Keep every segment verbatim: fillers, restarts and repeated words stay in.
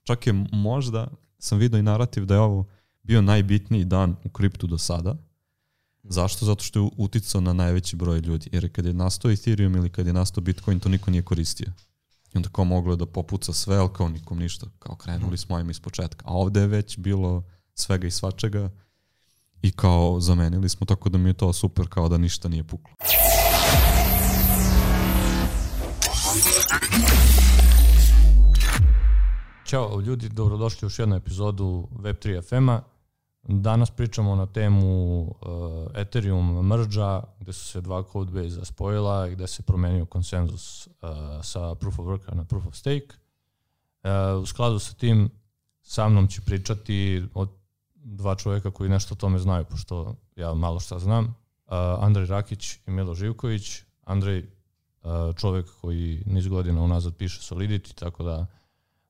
čak je možda, sam vidio i narativ da je ovo bio najbitniji dan u kriptu do sada. Zašto? Zato što je uticao na najveći broj ljudi. Jer kad je nastao Ethereum ili kad je nastao Bitcoin, to niko nije koristio. I onda kao moglo je da popuca sve, ali kao nikom ništa. Kao krenuli smo im iz početka. A ovde je već bilo svega i svačega i kao zamenili smo, tako da mi je to super, kao da ništa nije puklo. Ćao ljudi, dobrodošli u još jednu epizodu Web tri F M-a. Danas pričamo na temu uh, Ethereum merge-a, gde su se dva codebase-a spojila i gde se promenio konsenzus uh, sa Proof of Worka na Proof of Stake. Uh, u skladu sa tim, sa mnom će pričati od dva čovjeka koji nešto o tome znaju, pošto ja malo šta znam. Uh, Andrej Rakić i Milo Živković. Andrej, uh, čovjek koji niz godina unazad piše Solidity, tako da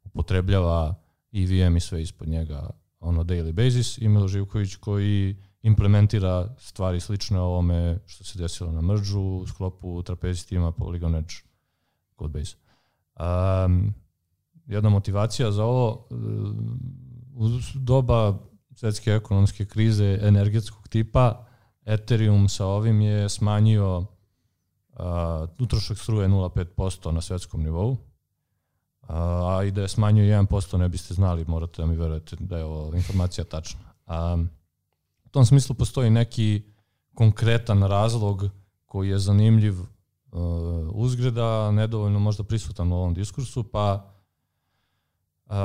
upotrebljava E V M i sve ispod njega ono daily basis, i Milo Živković koji implementira stvari slične ovome što se desilo na merge-u u sklopu Trapezi tima Polygon Edge codebase. Um, jedna motivacija za ovo, u doba svetske ekonomske krize energetskog tipa, Ethereum sa ovim je smanjio uh, utrošak struje nula zarez pet posto na svetskom nivou, a i da je smanjio jedan posto ne biste znali, morate da mi verujete da je ovo informacija tačna. A, u tom smislu postoji neki konkretan razlog koji je zanimljiv uh, uzgreda, nedovoljno možda prisutan u ovom diskursu, pa uh,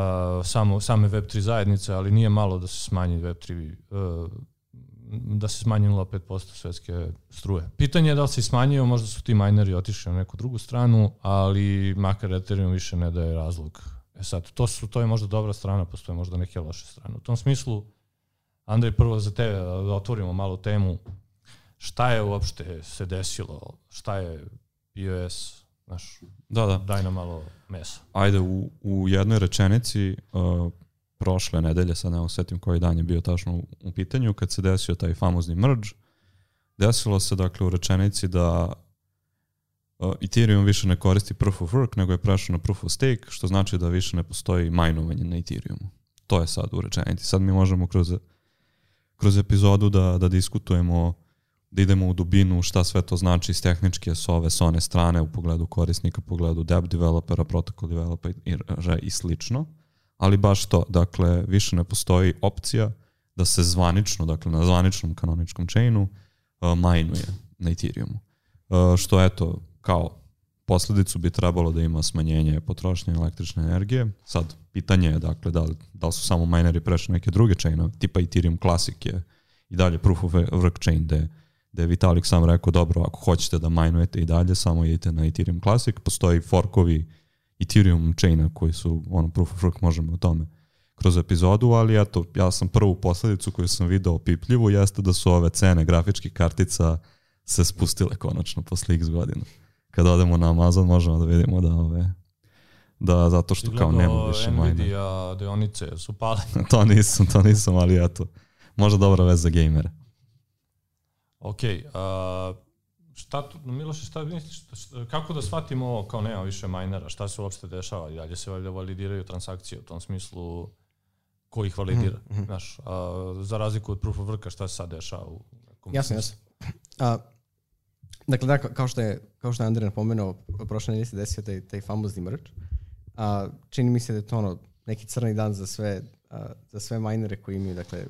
samo, same Web tri zajednice, ali nije malo da se smanji Web tri, uh, da se smanji nula zarez pet posto svetske struje. Pitanje je da li se smanjio, možda su ti mineri otišli na neku drugu stranu, ali makar Ethereum više ne daje razlog. E sad, to, su, to je možda dobra strana, postoje možda neke loše strane. U tom smislu, Andrej, prvo za tebe da otvorimo malo temu, šta je uopšte se desilo, šta je P O S, znaš, da, da. Daj nam malo mesa. Ajde, u, u jednoj rečenici, uh, prošle nedelje, sad ne osjetim koji dan je bio tačno u, u pitanju, kad se desio taj famozni merge, desilo se dakle u rečenici da uh, Ethereum više ne koristi Proof of Work, nego je prešao na Proof of Stake, što znači da više ne postoji majnovanje na Ethereumu. To je sad u rečenici. Sad mi možemo kroz, kroz epizodu da, da diskutujemo, da idemo u dubinu šta sve to znači iz tehničke s ove, s one strane u pogledu korisnika, u pogledu dApp developera, protocol developera i, i slično. Ali baš to, dakle, više ne postoji opcija da se zvanično, dakle, na zvaničnom kanoničkom chainu uh, majnuje na Ethereumu. Uh, što, eto, kao posljedicu bi trebalo da ima smanjenje potrošnje električne energije. Sad, pitanje je, dakle, da li, da li su samo mineri prešli neke druge chainove, tipa Ethereum Classic je i dalje Proof of Work chain, gde, gde je Vitalik sam rekao, dobro, ako hoćete da majnujete i dalje, samo idete na Ethereum Classic, postoji forkovi Ethereum chaina koji su, ono, Proof of Work, možemo o tome kroz epizodu, ali eto, ja sam prvu posljedicu koju sam video opipljivu jeste da su ove cene grafičkih kartica se spustile konačno posle x godina. Kada odemo na Amazon možemo da vidimo da ove, da zato što kao nema više majna. Nvidia deonice su pale. to nisam, to nisam, ali eto, možda dobra vez za gamere. Ok, uh, šta tu, Miloše, šta misliš, kako da shvatimo ovo kao nema više minera, šta se uopšte dešava i dalje se validiraju transakcije u tom smislu, ko ih validira, mm-hmm. znaš, a, za razliku od Proof of Worka, šta se sad dešava u nekom jasno, jasno. A, dakle, da, kao što je, kao što je Andrej napomenuo, prošle nedelje se desio taj, taj famozni merge. A, čini mi se da je to ono, neki crni dan za sve, a, za sve minere koji imaju, dakle,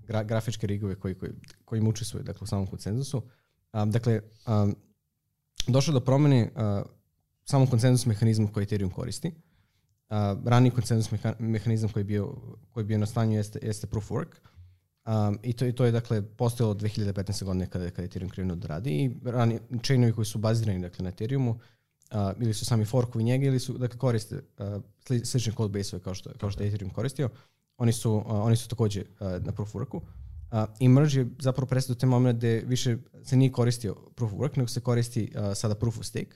gra, grafičke rigove koji, koji, koji im učestvuju, dakle, u samom konsenzusu. Um, dakle, um, došlo do promjene uh, samog konsenzus mehanizma koji Ethereum koristi. Uh, raniji konsenzus meha- mehanizam koji je bio, koji je bio na stanju jeste, jeste Proof of Work. Um, i, to, I to je dakle postojalo od dve hiljade petnaeste. godine kada, kada je Ethereum krenuo da radi. I rani chainovi koji su bazirani dakle, na Ethereumu uh, ili su sami forkovi njega ili su dakle, koriste uh, sli, slične codebase-ove kao što, kao što je Ethereum koristio. Oni su, uh, oni su također uh, na Proof of Worku. Uh, I merge je zapravo prestao do te momenta gde više se nije koristio Proof of Work, nego se koristi uh, sada Proof of Stake.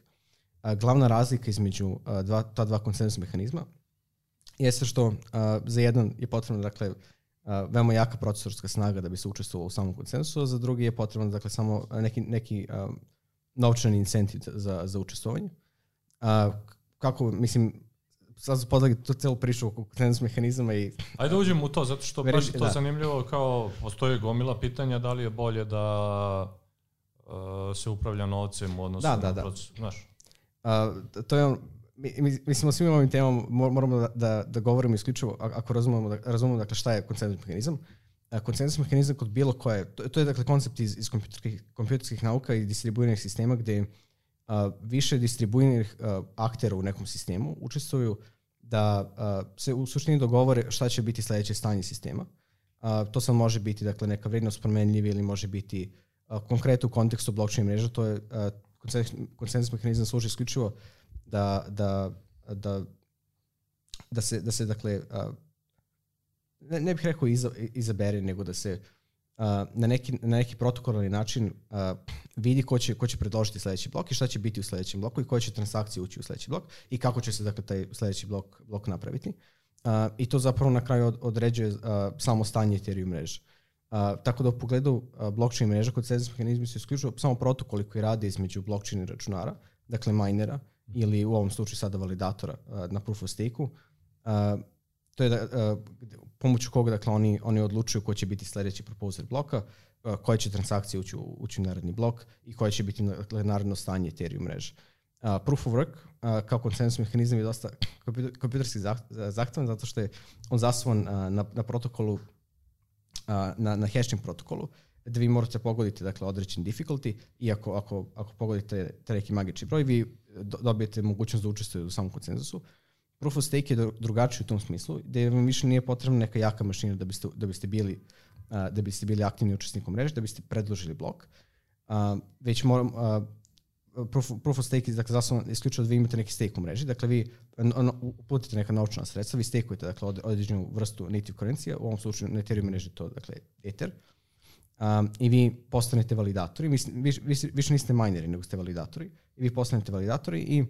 Uh, glavna razlika između uh, dva, ta dva konsenzus mehanizma jeste što uh, za jedan je potrebno dakle, uh, veoma jaka procesorska snaga da bi se učestvovalo u samom konsenzusu, a za drugi je potrebno dakle, samo neki, neki um, novčani incentiv za, za učestvovanje. Uh, kako, mislim, sad podlagi tu celu priču oko konsenzus mehanizama i... Ajde uđem u to, zato što baš je to da. zanimljivo, kao postoje gomila pitanja da li je bolje da uh, se upravlja novcem u odnosu da, na da, da. proces. Znaš? Uh, to je on, mi, mislim o svim ovim temama moramo da, da, da govorimo isključivo ako razumemo, da, razumemo dakle, šta je konsenzus mehanizam. Uh, konsenzus mehanizam kod bilo koje, to, to je dakle koncept iz, iz kompjuterskih, kompjuterskih nauka i distribuiranih sistema gde uh, više distribuiranih uh, aktera u nekom sistemu učestvuju da uh, se u suštini dogovore šta će biti sledeće stanje sistema. Uh, to sad može biti dakle, neka vrednost promenljiva ili može biti uh, konkretno u kontekstu blockchain mreža, to je uh, konsenzus mehanizam služi isključivo da, da, da, da se, da se dakle, uh, ne, ne bih rekao iza, izabere, nego da se uh, na, neki, na neki protokolarni način uh, vidi ko će, ko će predložiti sledeći blok i šta će biti u sledećem bloku i koje će transakcije ući u sledeći blok i kako će se dakle, taj sledeći blok, blok napraviti. Uh, I to zapravo na kraju od, određuje uh, samo stanje Ethereum mreže. Uh, tako da u pogledu uh, blockchain mreža kod konsenzus mehanizmi su isključivo samo protokoli koji rade između blockchain i računara, dakle minera ili u ovom slučaju sada validatora uh, na proof of stake-u. Uh, to je da, uh, pomoću koga dakle, oni, oni odlučuju ko će biti sledeći proposer bloka, uh, koje će transakcije ući u, ući u naredni blok i koje će biti dakle, naredno stanje Ethereum mreže. Uh, proof of work uh, kao konsenzus mehanizam je dosta kompjuterski zahtevan zato što je on zasnovan uh, na, na protokolu, uh, na, na hashing protokolu, gde vi morate pogoditi dakle, određen difficulty i ako, ako, ako pogodite taj neki magični broj, vi do, dobijete mogućnost da učestvujete u samom konsenzusu. Proof of stake je drugačiji u tom smislu, gde vam više nije potrebna neka jaka mašina da biste, da biste, bili, uh, da biste bili aktivni učesnikom mreže, da biste predložili blok. Uh, već moram... Uh, Proof, proof of stake je dakle, zasnovan isključivo da vi imate neki stake u mreži. Dakle, vi uputite neka novčana sredstva, vi stakujete dakle, određenu vrstu native kurencija, u ovom slučaju na Ethereum mreži to dakle, Ether, um, i vi postanete validatori. Mislim, više, više, više niste mineri, nego ste validatori. I vi postanete validatori i uh,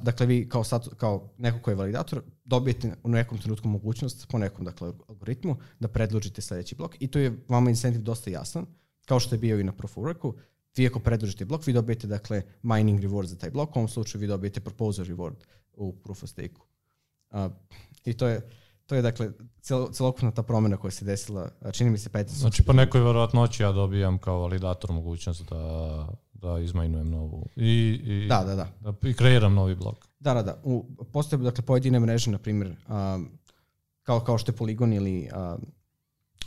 dakle, vi kao, stat, kao neko ko je validator dobijete u nekom trenutku mogućnost po nekom dakle, algoritmu da predložite sledeći blok i to je vama incentiv dosta jasan, kao što je bio i na Proof of Worku. Vi ako predložite blok, vi dobijete dakle mining reward za taj blok, u ovom slučaju vi dobijete proposer reward u proof of stake-u. Uh, I to je, to je dakle cel, celokupna ta promjena koja se desila, čini mi se petnaest. Znači po nekoj verovatnoći ja dobijam kao validator mogućnost da, da izmajnujem novu i, i, da, da, da. da, i kreiram novi blok. Da, da, da. U, postoje dakle pojedine mreže, na primjer, um, kao, kao što je Polygon ili um,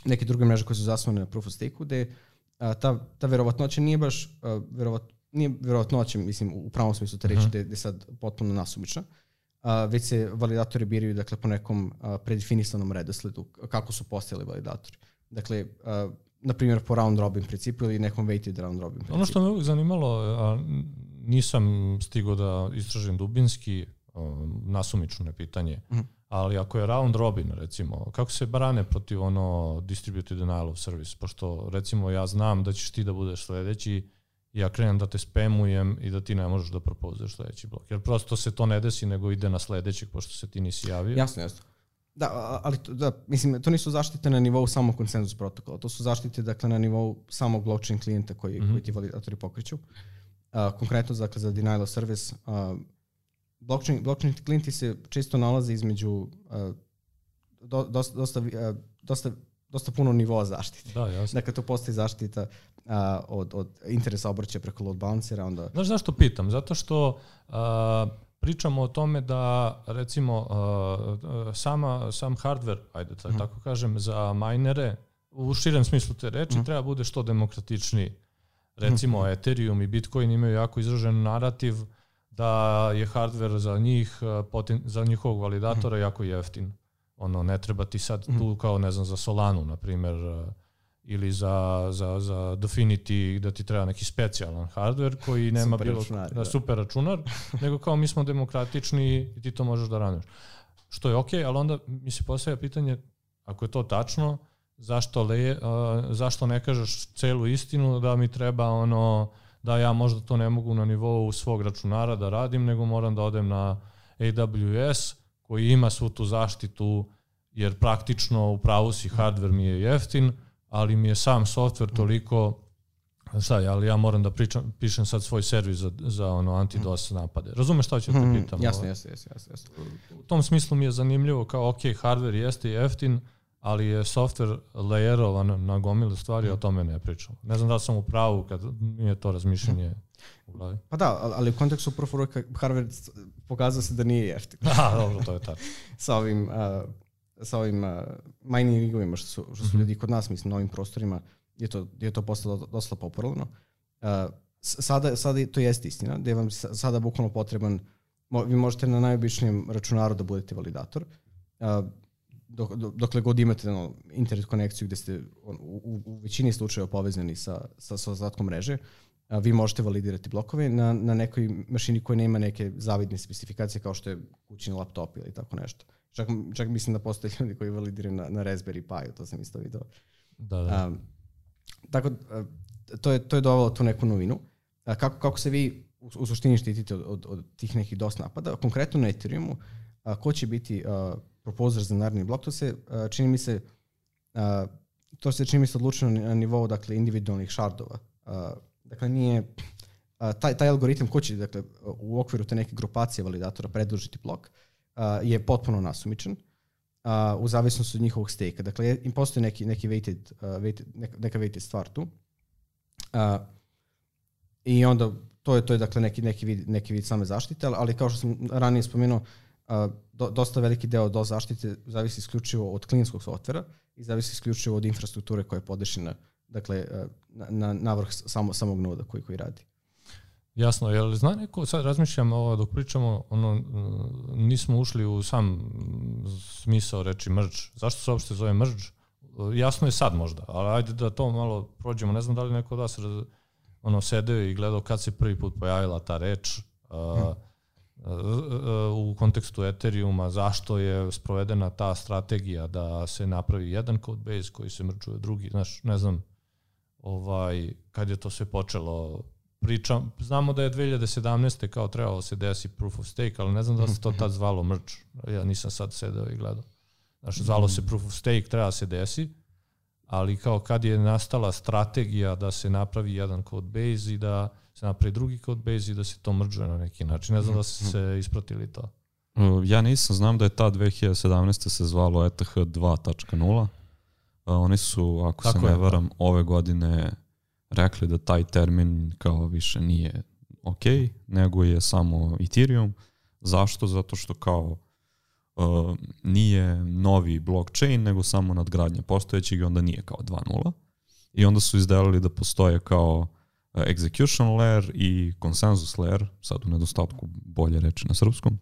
neke druge mreže koje su zasnovane na proof of stake-u, gde A, ta, ta verovatnoća nije baš uh, verovat, nije verovatnoća, mislim, u pravom smislu te reći, uh-huh. da je sad potpuno nasumična, uh, već se validatori biraju dakle, po nekom uh, predefinisanom redosledu, kako su postojali validatori. Dakle, uh, na primjer po round robin principu ili nekom weighted round robin principu. Ono što me uvijek zanimalo, a nisam stigao da istražim dubinski, uh, nasumično je pitanje, uh-huh. ali ako je round robin, recimo, kako se brane protiv ono distributed denial of service? Pošto, recimo, ja znam da ćeš ti da budeš sledeći i ja krenem da te spamujem i da ti ne možeš da propozuješ sledeći blok. Jer prosto se to ne desi, nego ide na sledećeg, pošto se ti nisi javio. Jasno, jasno. Da, ali to, da, mislim, to nisu zaštite na nivou samog konsenzus protokola. To su zaštite, dakle, na nivou samog blockchain klijenta koji, mm-hmm. koji ti validatori pokreću. Uh, konkretno, dakle, za denial of service, uh, Blockchain, blockchain klijenti se često nalaze između uh, do, dosta, dosta, uh, dosta, dosta puno nivoa zaštite. Da, jasno. Dakle, to postoji zaštita uh, od, od interesa obrća preko load balancera. Onda... Znaš zašto pitam? Zato što uh, pričamo o tome da, recimo, uh, sama, sam hardware, ajde da mm. tako kažem, za minere, u širem smislu te reči, mm. treba bude što demokratičniji. Recimo, mm. Ethereum i Bitcoin imaju jako izražen narativ da je hardware za njih, za njihovog validatora jako jeftin. Ono, ne treba ti sad tu kao, ne znam, za Solanu, na primjer, ili za, za, za Dfinity da ti treba neki specijalan hardware koji nema super bilo računar, da, super računar, nego kao mi smo demokratični i ti to možeš da radiš. Što je okej, okay, ali onda mi se postavlja pitanje, ako je to tačno, zašto, le, uh, zašto ne kažeš celu istinu da mi treba ono da ja možda to ne mogu na nivou svog računara da radim, nego moram da odem na A W S koji ima svu tu zaštitu, jer praktično u pravu si hardware mi je jeftin, ali mi je sam software toliko uh, Šta je, ali ja moram da pričam, pišem sad svoj servis za, za ono anti-DOS napade. Razumeš šta ću te Mm, pitam? jasno, jasno, jasno, jasno, jasno. U tom smislu mi je zanimljivo kao, ok, hardware jeste jeftin, ali je software layerovan na gomilu stvari, o tome ne pričam. Ne znam da li sam u pravu kad mi je to razmišljanje u glavi. Pa da, ali u kontekstu proof of work hardware pokazao se da nije jeftin. Da, dobro, to je tačno. sa ovim, uh, sa ovim uh, mining rigovima što su, što su ljudi kod nas, mislim, na ovim prostorima, je to, je to postalo dosta popularno. Uh, sada, sada to jeste istina, da je vam sada bukvalno potreban, mo, vi možete na najobičnijem računaru da budete validator, uh, dok, dokle god imate no, internet konekciju gde ste u, u, u većini slučajeva povezani sa, sa, sa ostatkom mreže, uh, vi možete validirati blokove na, na nekoj mašini koja nema neke zavidne specifikacije kao što je kućni laptop ili tako nešto. Čak, čak mislim da postoje ljudi koji validiraju na, na Raspberry Pi, to sam isto vidio. Da, da. Um, tako, to je, to je dovelo tu neku novinu. A kako, kako se vi u, u suštini štitite od, od, od tih nekih DOS napada? Konkretno na Ethereumu, a, ko će biti a, proposer za naredni blok, to se a, čini mi se a, to se čini mi se odlučeno na nivou dakle, individualnih shardova. A, dakle, nije a, taj, taj algoritam ko će dakle, u okviru te neke grupacije validatora predložiti blok a, je potpuno nasumičan. Uh, u zavisnosti od njihovog stejka. Dakle, im postoji neki, neki weighted, uh, weighted, neka, neka weighted stvar tu. Uh, I onda to je, to je dakle neki, neki, vid, neki vid same zaštite, ali, ali kao što sam ranije spomenuo, uh, do, dosta veliki deo do zaštite zavisi isključivo od klinskog softvera i zavisi isključivo od infrastrukture koja je podešena dakle, uh, na, na, navrh samo, samog noda koji, koji radi. Jasno, jel zna neko, sad razmišljam ovo dok pričamo, ono, nismo ušli u sam smisao reči merge. Zašto se uopšte zove merge? Jasno je sad možda, ali ajde da to malo prođemo. Ne znam da li neko od vas ono, sedeo i gledao kad se prvi put pojavila ta reč hmm. u kontekstu Ethereuma, zašto je sprovedena ta strategija da se napravi jedan codebase koji se mergeuje drugi. Znaš, ne znam ovaj, kad je to sve počelo. Pričam, znamo da je dve hiljade sedamnaeste kao trebalo se desi proof of stake, ali ne znam da se to tad zvalo merge. Ja nisam sad sedeo i gledao. Znači, zvalo se proof of stake, treba se desi, ali kao kad je nastala strategija da se napravi jedan code base i da se napravi drugi code base i da se to mergeuje na neki način. Ne znam da se se ispratili to. Ja nisam, znam da je ta dve hiljade sedamnaeste se zvalo E T H dva tačka nula. Oni su, ako Tako se ne je, varam, da. ove godine rekli da taj termin kao više nije ok, nego je samo Ethereum. Zašto? Zato što kao uh, nije novi blockchain, nego samo nadgradnja postojećeg i onda nije kao dva nula. I onda su izdelili da postoje kao uh, execution layer i consensus layer, sad u nedostatku bolje reči na srpskom.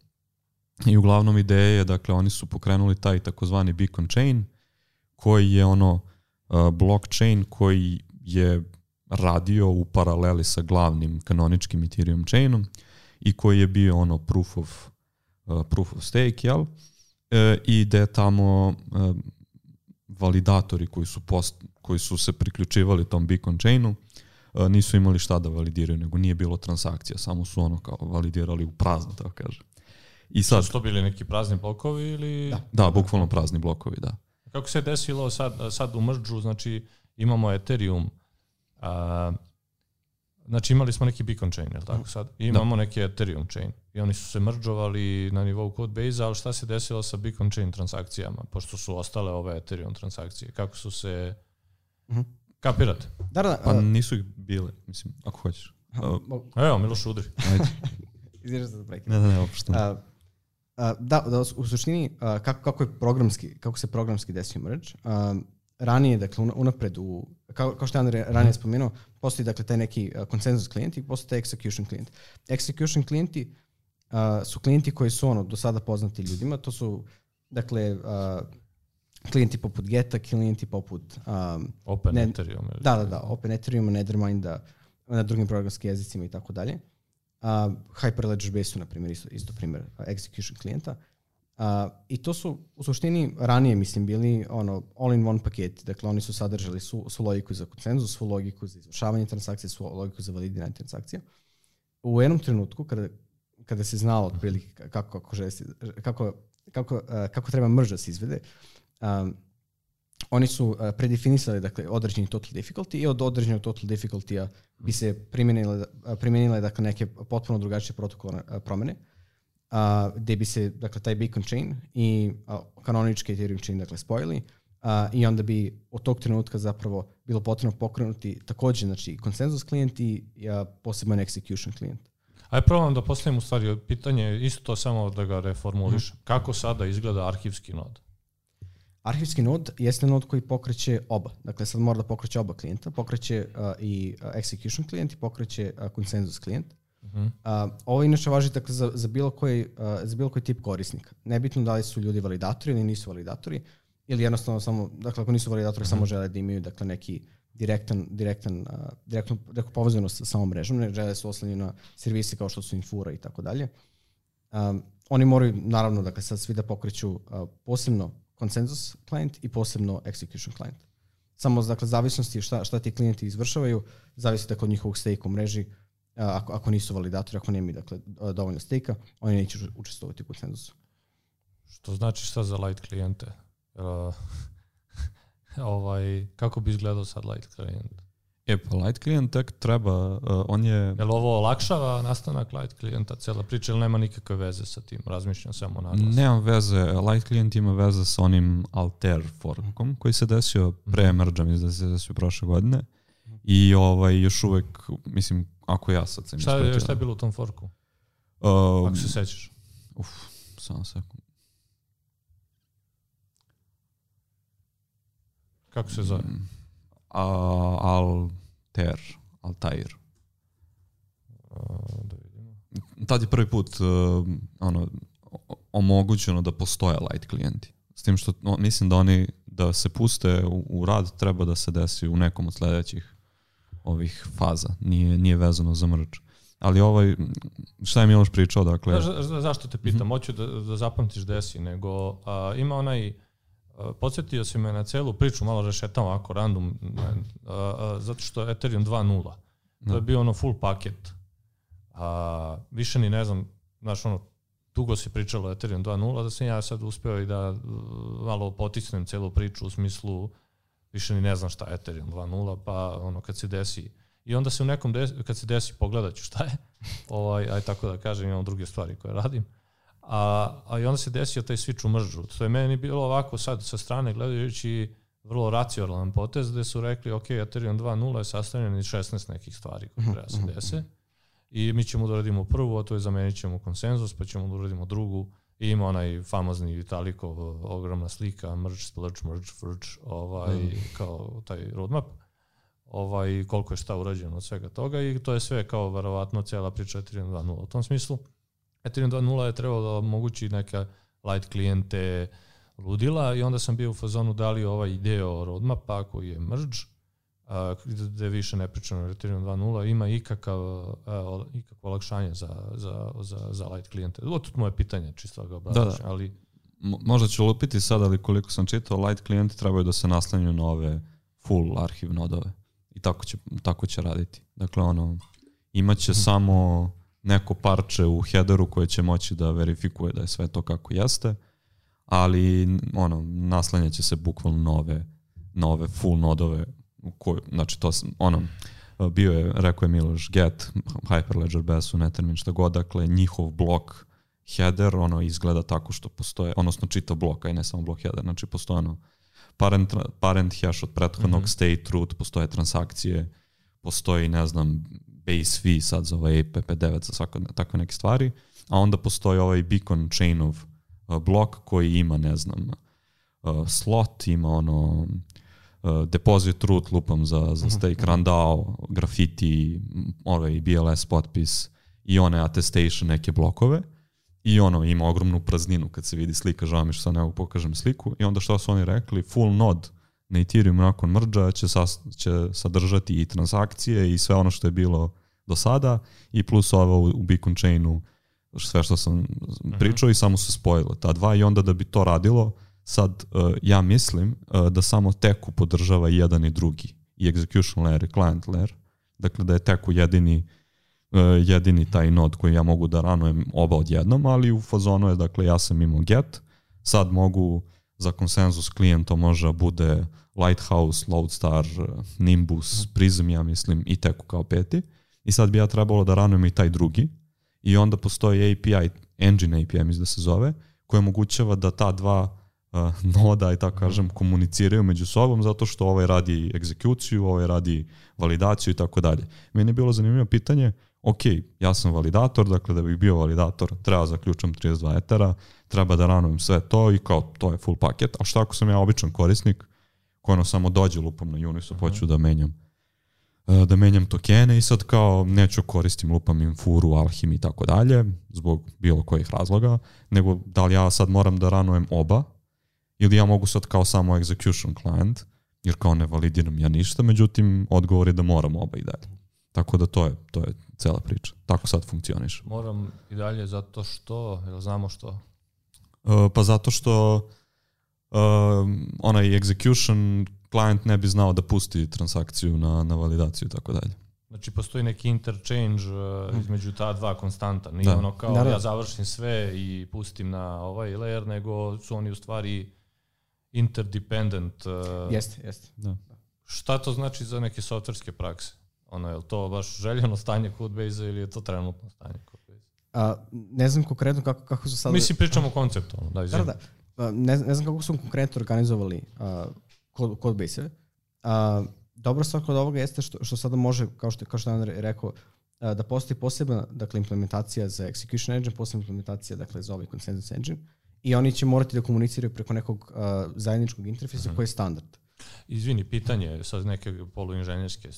I uglavnom ideja je, dakle, oni su pokrenuli taj takozvani beacon chain, koji je ono uh, blockchain koji je radio u paraleli sa glavnim kanoničkim Ethereum chainom i koji je bio ono proof of, uh, proof of stake, jel? E, I da tamo uh, validatori koji su, post, koji su se priključivali tom beacon chainu uh, nisu imali šta da validiraju, nego nije bilo transakcija, samo su ono kao validirali u prazno, tako kažem. I sad, su to bili neki prazni blokovi ili... Da, da, bukvalno prazni blokovi, da. Kako se desilo sad, sad u merge-u, znači imamo Ethereum, a, znači imali smo neki beacon chain, jel tako sad? I imamo da. neki Ethereum chain i oni su se mergeovali na nivou codebase, ali šta se desilo sa beacon chain transakcijama, pošto su ostale ove Ethereum transakcije? Kako su se... Mm-hmm. Kapirate? Da, da, pa nisu ih bile, mislim, ako hoćeš. Uh, Evo, Miloš udri. Ajde. Izvješće se da prekine. Ne, ne, ne, oprosto. Uh, Uh, da, da, u suštini uh, kako, kako je programski, kako se programski desio merge, uh, ranije, dakle, unapred u, kao, kao što je Andrej ranije spomenuo, postoji, dakle, taj neki uh, konsenzus klijent i postoji taj execution klijent. Execution klijenti uh, su klijenti koji su, ono, do sada poznati ljudima, to su, dakle, uh, klijenti poput Geta, klijenti poput... Um, Open ne, Ethereum. Da, da, da, Open Ethereum, Netherminda, na drugim programskim jezicima i tako dalje. Uh, Hyperledger Base-u, na primjer, isto, isto primjer uh, execution klijenta. Uh, I to su u suštini ranije, mislim, bili ono all-in-one paketi. Dakle, oni su sadržali su, su logiku za konsenzus, su logiku za izvršavanje transakcije, su logiku za validiranje transakcija. U jednom trenutku, kada, kada se znalo otprilike kako, kako, želi, kako, kako, uh, kako treba merge da se izvede, um, oni su uh, predefinisali dakle, određeni total difficulty i od određenog total difficulty-a bi se primjenile, uh, primjenile dakle, neke potpuno drugačije protokolne uh, promene, uh, gde bi se dakle, taj beacon chain i uh, kanonički Ethereum chain dakle, spojili uh, i onda bi od tog trenutka zapravo bilo potrebno pokrenuti također znači, konsenzus klijent i uh, poseban execution klijent. Ajde probam da postavim u stvari pitanje, isto to samo da ga reformulišem. Mm. Kako sada izgleda arhivski nod? Arhivski nod jeste nod koji pokreće oba. Dakle, sad mora da pokreće oba klijenta. Pokreće uh, i uh, execution klijent i pokreće uh, konsenzus klijent. Uh-huh. Uh, ovo inače važi dakle, za, za, bilo koji, uh, za bilo koji tip korisnika. Nebitno da li su ljudi validatori ili nisu validatori, ili jednostavno samo, dakle, ako nisu validatori, uh-huh. samo žele da imaju dakle, neki direktan, direktan, uh, direktnu, direktnu povezanost sa samom mrežom, ne žele da se oslanjaju na servise kao što su Infura i tako dalje. Um, oni moraju, naravno, dakle, sad svi da pokreću uh, posebno konsenzus klijent i posebno execution klijent. Samo dakle, zavisnosti šta, šta ti klijenti izvršavaju, zavisi dakle, od njihovog stake u mreži. Ako, ako nisu validatori, ako nemaju dakle, dovoljno stake-a, oni neće učestvovati u konsenzusu. Što znači šta za light klijente? Uh, ovaj, kako bi izgledao sad light klijent? E pa light klijent tek treba, uh, on je... Jel ovo olakšava nastanak light klijenta cijela priča ili nema nikakve veze sa tim? Razmišljam samo naglas. Nema veze, light klijent ima veze sa onim Alter forkom koji se desio pre merge-a, mislim da se desio prošle godine. I ovaj, još uvek, mislim, ako ja sad sam šta je, šta je bilo u tom forku? Um, ako se sećaš. Uf, samo sekund. Kako se zove? Um, Alter, Altair. Uh, da vidimo. Tad je prvi put uh, ono, omogućeno da postoje light klijenti. S tim što no, mislim da oni da se puste u, u rad treba da se desi u nekom od sledećih ovih faza. Nije, nije vezano za merge. Ali ovaj, šta je Miloš pričao, dakle... Za, za, zašto te pitam? Mm-hmm. Hoću da, da zapamtiš desi, nego a, ima onaj... A, podsjetio si me na celu priču, malo rešetam ovako random, a, a, zato što Ethereum dva nula. To je bio ono full paket. A, više ni ne znam, znaš ono, dugo se pričalo o Ethereum dva nula, da sam ja sad uspeo i da malo potisnem celu priču u smislu više ni ne znam šta je Ethereum dva nula, pa ono kad se desi i onda se u nekom desi, kad se desi pogledat ću šta je, ovaj, aj tako da kažem, imam druge stvari koje radim, a, a i onda se desio taj switch u mržu. To je meni bilo ovako sad sa strane gledajući vrlo racionalan potez gde su rekli ok, Ethereum dva nula je sastavljen iz šesnaest nekih stvari koje treba se dese i mi ćemo da uradimo prvu, a to je zamenit ćemo konsenzus, pa ćemo da uradimo drugu. I ima onaj famozni Vitalikov ogromna slika, merge, splurge, merge, furge, ovaj, mm. kao taj roadmap, ovaj, koliko je šta urađeno od svega toga i to je sve kao verovatno cijela priča Ethereum dva nula. U tom smislu, Ethereum dva nula je trebalo da omogući neke light klijente ludila i onda sam bio u fazonu da li ovaj deo roadmapa koji je merge, a, gde više ne pričamo o Ethereum dva nula, ima ikakav, a, ikakvo olakšanje za, za, za, za light klijente. Ovo je moje pitanje, čisto ga obrazlažem, da, da. ali... Mo, možda ću lupiti sad, ali koliko sam čitao, light klijenti trebaju da se naslanjaju na ove full arhiv nodove. I tako će, tako će raditi. Dakle, ono, imaće hmm. samo neko parče u headeru koje će moći da verifikuje da je sve to kako jeste, ali ono, naslanjaće se bukvalno nove, nove full nodove. Koju, znači to ono, bio je, rekao je Miloš, get, Hyperledger, B S U, Nethermin, šta god, dakle njihov blok header, ono izgleda tako što postoje, odnosno čitav blok, a i ne samo blok header, znači postoje ono parent, parent hash od prethodnog, mm-hmm. state root, postoje transakcije, postoji, ne znam, base fee sad za ovaj E P P devet, za svako, takve neke stvari, a onda postoji ovaj beacon chainov uh, blok koji ima, ne znam, uh, slot, ima ono Uh, deposit root lupam za, za stake, randao, grafiti, ovaj B L S potpis i one attestation neke blokove i ono ima ogromnu prazninu kad se vidi slika, žao mi što sad ne mogu pokažem sliku i onda što su oni rekli, full node na Ethereum nakon merge će, sas, će sadržati i transakcije i sve ono što je bilo do sada i plus ovo u, u Beacon chainu sve što sam pričao uh-huh. i samo su spojile ta dva i onda da bi to radilo sad, uh, ja mislim uh, da samo Teku podržava i jedan i drugi, i execution layer i client layer, dakle da je Teku jedini, uh, jedini taj nod koji ja mogu da ranujem oba odjednom, ali u fazonu je, dakle ja sam imao get, sad mogu za konsenzus klijent to može da bude Lighthouse, Loadstar, Nimbus, Prism, ja mislim, i Teku kao peti. I sad bi ja trebalo da ranujem i taj drugi. I onda postoji A P I, Engine A P I, mislim da se zove, koji omogućava da ta dva uh, noda, i tako kažem, komuniciraju među sobom, zato što ovaj radi egzekuciju, ovaj radi validaciju i tako dalje. Meni je bilo zanimljivo pitanje, ok, ja sam validator, dakle da bih bio validator, treba zaključam trideset dva etera, treba da ranujem sve to i kao to je full paket, a šta ako sam ja običan korisnik, koji ono samo dođe lupom na Uniswap, hoću da menjam da menjam tokene i sad kao neću koristim lupam Infuru, Alchemy i tako dalje, zbog bilo kojih razloga, nego da li ja sad moram da ranujem oba ili ja mogu sad kao samo execution client, jer kao ne validiram ja ništa, međutim odgovor je da moram oba i dalje. Tako da to je, to je cela priča. Tako sad funkcioniš. Moram i dalje zato što, jel znamo što? Uh, pa zato što uh, onaj execution client ne bi znao da pusti transakciju na, na validaciju i tako dalje. Znači postoji neki interchange uh, između ta dva konstanta. Nije da. ono kao da, da. ja završim sve i pustim na ovaj layer, nego su oni u stvari interdependent. Uh, jeste, jeste. Da. Šta to znači za neke softverske prakse? Ono, je li to baš željeno stanje Codebase-a ili je to trenutno stanje Codebase? A, ne znam konkretno kako, kako su sad... Mislim, pričamo o konceptu. Da, da, da. A, ne, ne znam kako su konkretno organizovali uh, Codebase-e. Uh, dobra stvar kod ovoga jeste što, što sada može, kao što, kao što je Andrej rekao, uh, da postoji posebna dakle, implementacija za execution engine, posebna implementacija dakle, za ovaj consensus engine i oni će morati da komuniciraju preko nekog uh, zajedničkog interfejsa uh-huh. koji je standard. Izvini, pitanje sa neke poluinženjerske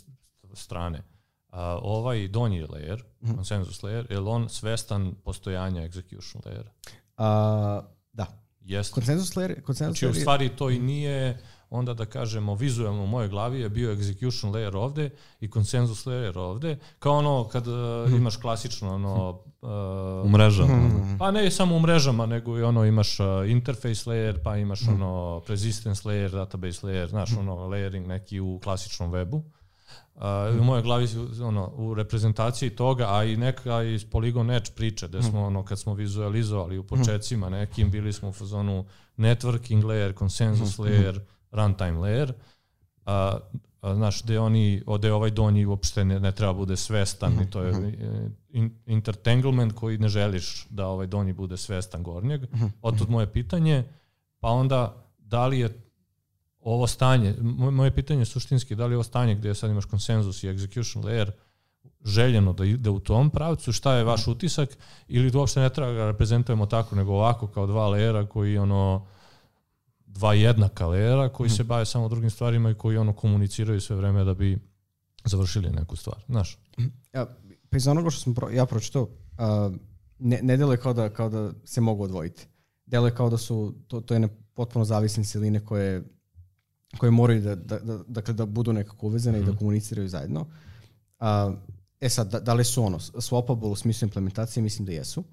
strane. Uh, ovaj donji layer, mm-hmm. consensus layer, je li on svestan postojanja execution layera? Uh, da. Jeste. Consensus layer, consensus znači, layer u stvari to i nije, onda da kažemo, vizualno u mojoj glavi je bio execution layer ovde i consensus layer ovde, kao ono kad uh, imaš klasično ono... Uh, u mrežama. Mm-hmm. Pa ne samo u mrežama, nego i ono imaš uh, interface layer, pa imaš mm-hmm. ono persistence layer, database layer, znaš mm-hmm. ono layering neki u klasičnom webu. Uh, mm. U mojoj glavi ono, u reprezentaciji toga, a i neka iz Polygon Edge priče, gde smo, ono, kad smo vizualizovali u početcima nekim, bili smo u fazonu networking layer, consensus layer, runtime layer, a, a, znaš, gde oni, ode ovaj donji uopšte ne, ne treba bude svestan i to je in, intertanglement koji ne želiš da ovaj donji bude svestan gornjeg. Otud moje pitanje, pa onda da li je ovo stanje, moje pitanje je suštinski, da li je ovo stanje gdje sad imaš konsenzus i execution layer željeno da ide u tom pravcu, šta je vaš utisak, ili to uopšte ne treba ga reprezentujemo tako, nego ovako kao dva layera koji ono, dva jednaka layera koji se bave samo drugim stvarima i koji ono komuniciraju sve vreme da bi završili neku stvar, znaš? Ja, pa iz onoga što sam pro, ja pročitao, uh, ne, ne deluje kao da, kao da se mogu odvojiti. Deluje kao da su, to, to je ne potpuno zavisne siline koje koje moraju da, da, da, dakle, da budu nekako uvezene mm-hmm. i da komuniciraju zajedno. Uh, e sad, da, da li su ono swappable u smislu implementacije? Mislim da jesu.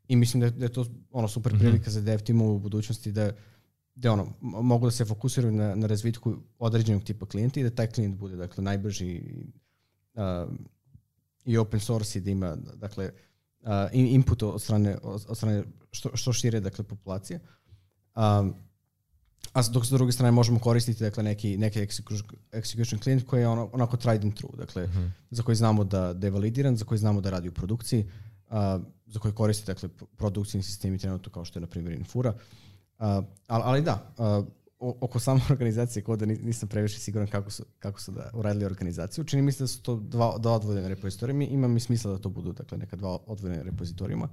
I mislim da je, da je to ono super prilika mm-hmm. za dev timove u budućnosti da, da ono, mogu da se fokusiraju na, na razvitku određenog tipa klijenta i da taj klijent bude dakle, najbrži uh, i open source i da ima dakle, uh, input od strane, od, od strane što, što šire dakle, populacije. Um, A dok s druge strane možemo koristiti dakle, neki, neki execution client koji je ono, onako tried and true, dakle, uh-huh. za koji znamo da, da je validiran, za koji znamo da radi u produkciji, uh, za koji koristi dakle, produkcijni sistemi trenutno kao što je na primjer Infura. Uh, ali, ali da, uh, oko same organizacije koda nisam previše siguran kako su, kako su da uradili organizaciju. Čini mi se da su to dva, dva odvojene repozitorija. Ima mi smisla da to budu dakle, neka dva odvojene repozitorijima,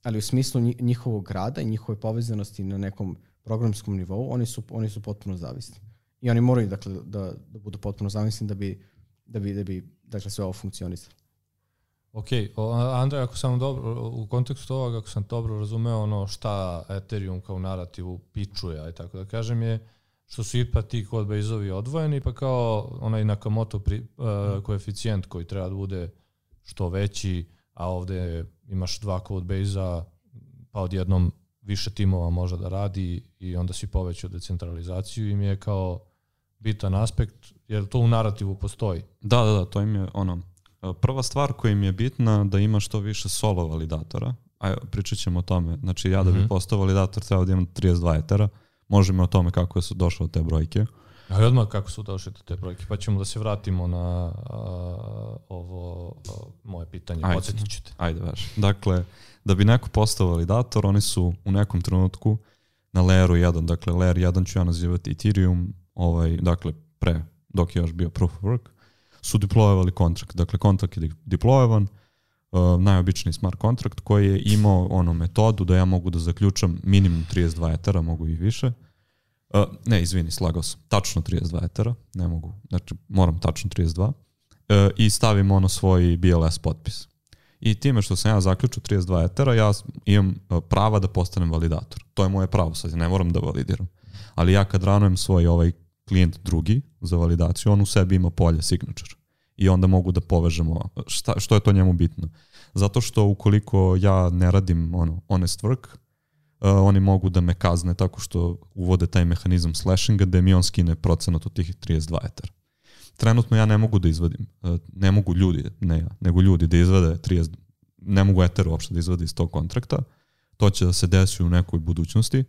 ali u smislu njihovog rada i njihove povezanosti na nekom programskom nivou, oni su, oni su potpuno zavisni. I oni moraju dakle, da, da budu potpuno zavisni da bi, da bi, da bi dakle, sve ovo funkcionisalo. Ok, Andrej, ako sam dobro, u kontekstu ovoga, ako sam dobro razumeo ono šta Ethereum kao narativu pičuje, aj tako da kažem, je što su ipak ti Codebase-ovi odvojeni, pa kao onaj Nakamoto pri, uh, koeficijent koji treba da bude što veći, a ovde imaš dva Codebase-a, pa odjednom više timova može da radi i onda si povećao decentralizaciju im je kao bitan aspekt, jer to u narativu postoji. Da, da, da, to im je ono, prva stvar koja im je bitna da ima što više solo validatora, a pričat ćemo o tome, znači ja da bi mm-hmm. postao validator treba da imam trideset dva etera, možemo o tome kako su došle te brojke. Ali odmah kako su došle te brojke, pa ćemo da se vratimo na a, ovo a, moje pitanje, podsjetit ćete. Ajde, vaš. Dakle, da bi neko postao validator, oni su u nekom trenutku na layeru jedan, dakle layer jedan ću ja nazivati Ethereum, ovaj, dakle pre, dok je još bio proof of work, su deployovali kontrakt. Dakle, kontrakt je deployovan, uh, najobičniji smart kontrakt koji je imao ono metodu da ja mogu da zaključam minimum trideset dva etera, mogu i više. Uh, ne, izvini, slagao sam. Tačno trideset dva etera, ne mogu, znači moram tačno trideset dva. Uh, I stavim ono svoj B L S potpis. I time što sam ja zaključio trideset dva etera, ja imam prava da postanem validator. To je moje pravo, sad ne moram da validiram. Ali ja kad ranujem svoj ovaj klijent drugi za validaciju, on u sebi ima polje signature. I onda mogu da povežemo. Šta, što je to njemu bitno? Zato što ukoliko ja ne radim ono, honest work, uh, oni mogu da me kazne tako što uvode taj mehanizam slashinga da mi on skine procenat od tih trideset dva etera. Trenutno ja ne mogu da izvadim, ne mogu ljudi, ne ja, nego ljudi da izvade trideset, ne mogu Ether uopšte da izvade iz tog kontrakta, to će da se desi u nekoj budućnosti,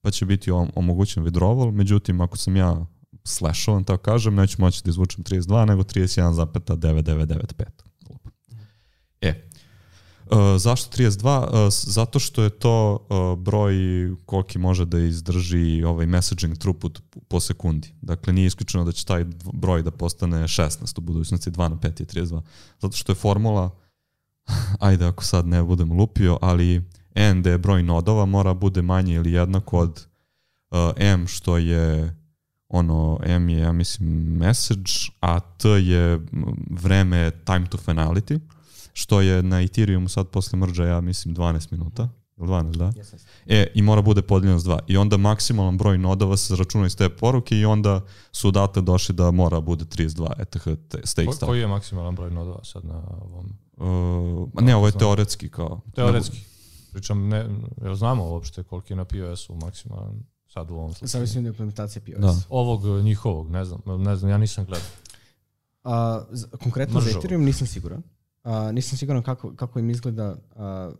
pa će biti omogućen withdrawal, međutim ako sam ja slashovan, tako kažem, neću moći da izvučem trideset dva, nego trideset jedan zarez devet devet devet pet. E, Uh, zašto trideset dva? Uh, zato što je to uh, broj koliki može da izdrži ovaj messaging throughput po sekundi. Dakle, nije isključeno da će taj broj da postane šesnaest u budućnosti, dva na pet je trideset dva. Zato što je formula, ajde ako sad ne budem lupio, ali n da je broj nodova mora bude manje ili jednako od uh, m što je ono, m je, ja mislim, message, a t je vreme time to finality, što je na Ethereumu sad posle mrža, ja mislim, dvanaest minuta. dvanaest, da? Yes, yes. E, i mora bude podeljeno s dva. I onda maksimalan broj nodova se računa iz te poruke i onda su odatle došli da mora bude trideset dva E T H stake Ko, stop. Koji je maksimalan broj nodova sad na ovom? Uh, ne, ovo je teoretski kao. Teoretski. Pričam, ne, jel znamo uopšte koliki je na P O S-u maksimalan sad u ovom slučaju? Zavisno od implementacije P O S. Da. Ovog njihovog, ne znam, ne znam, ja nisam gledao. A, konkretno Mržavo. za Ethereum nisam siguran. A, nisam siguran kako, kako im izgleda a,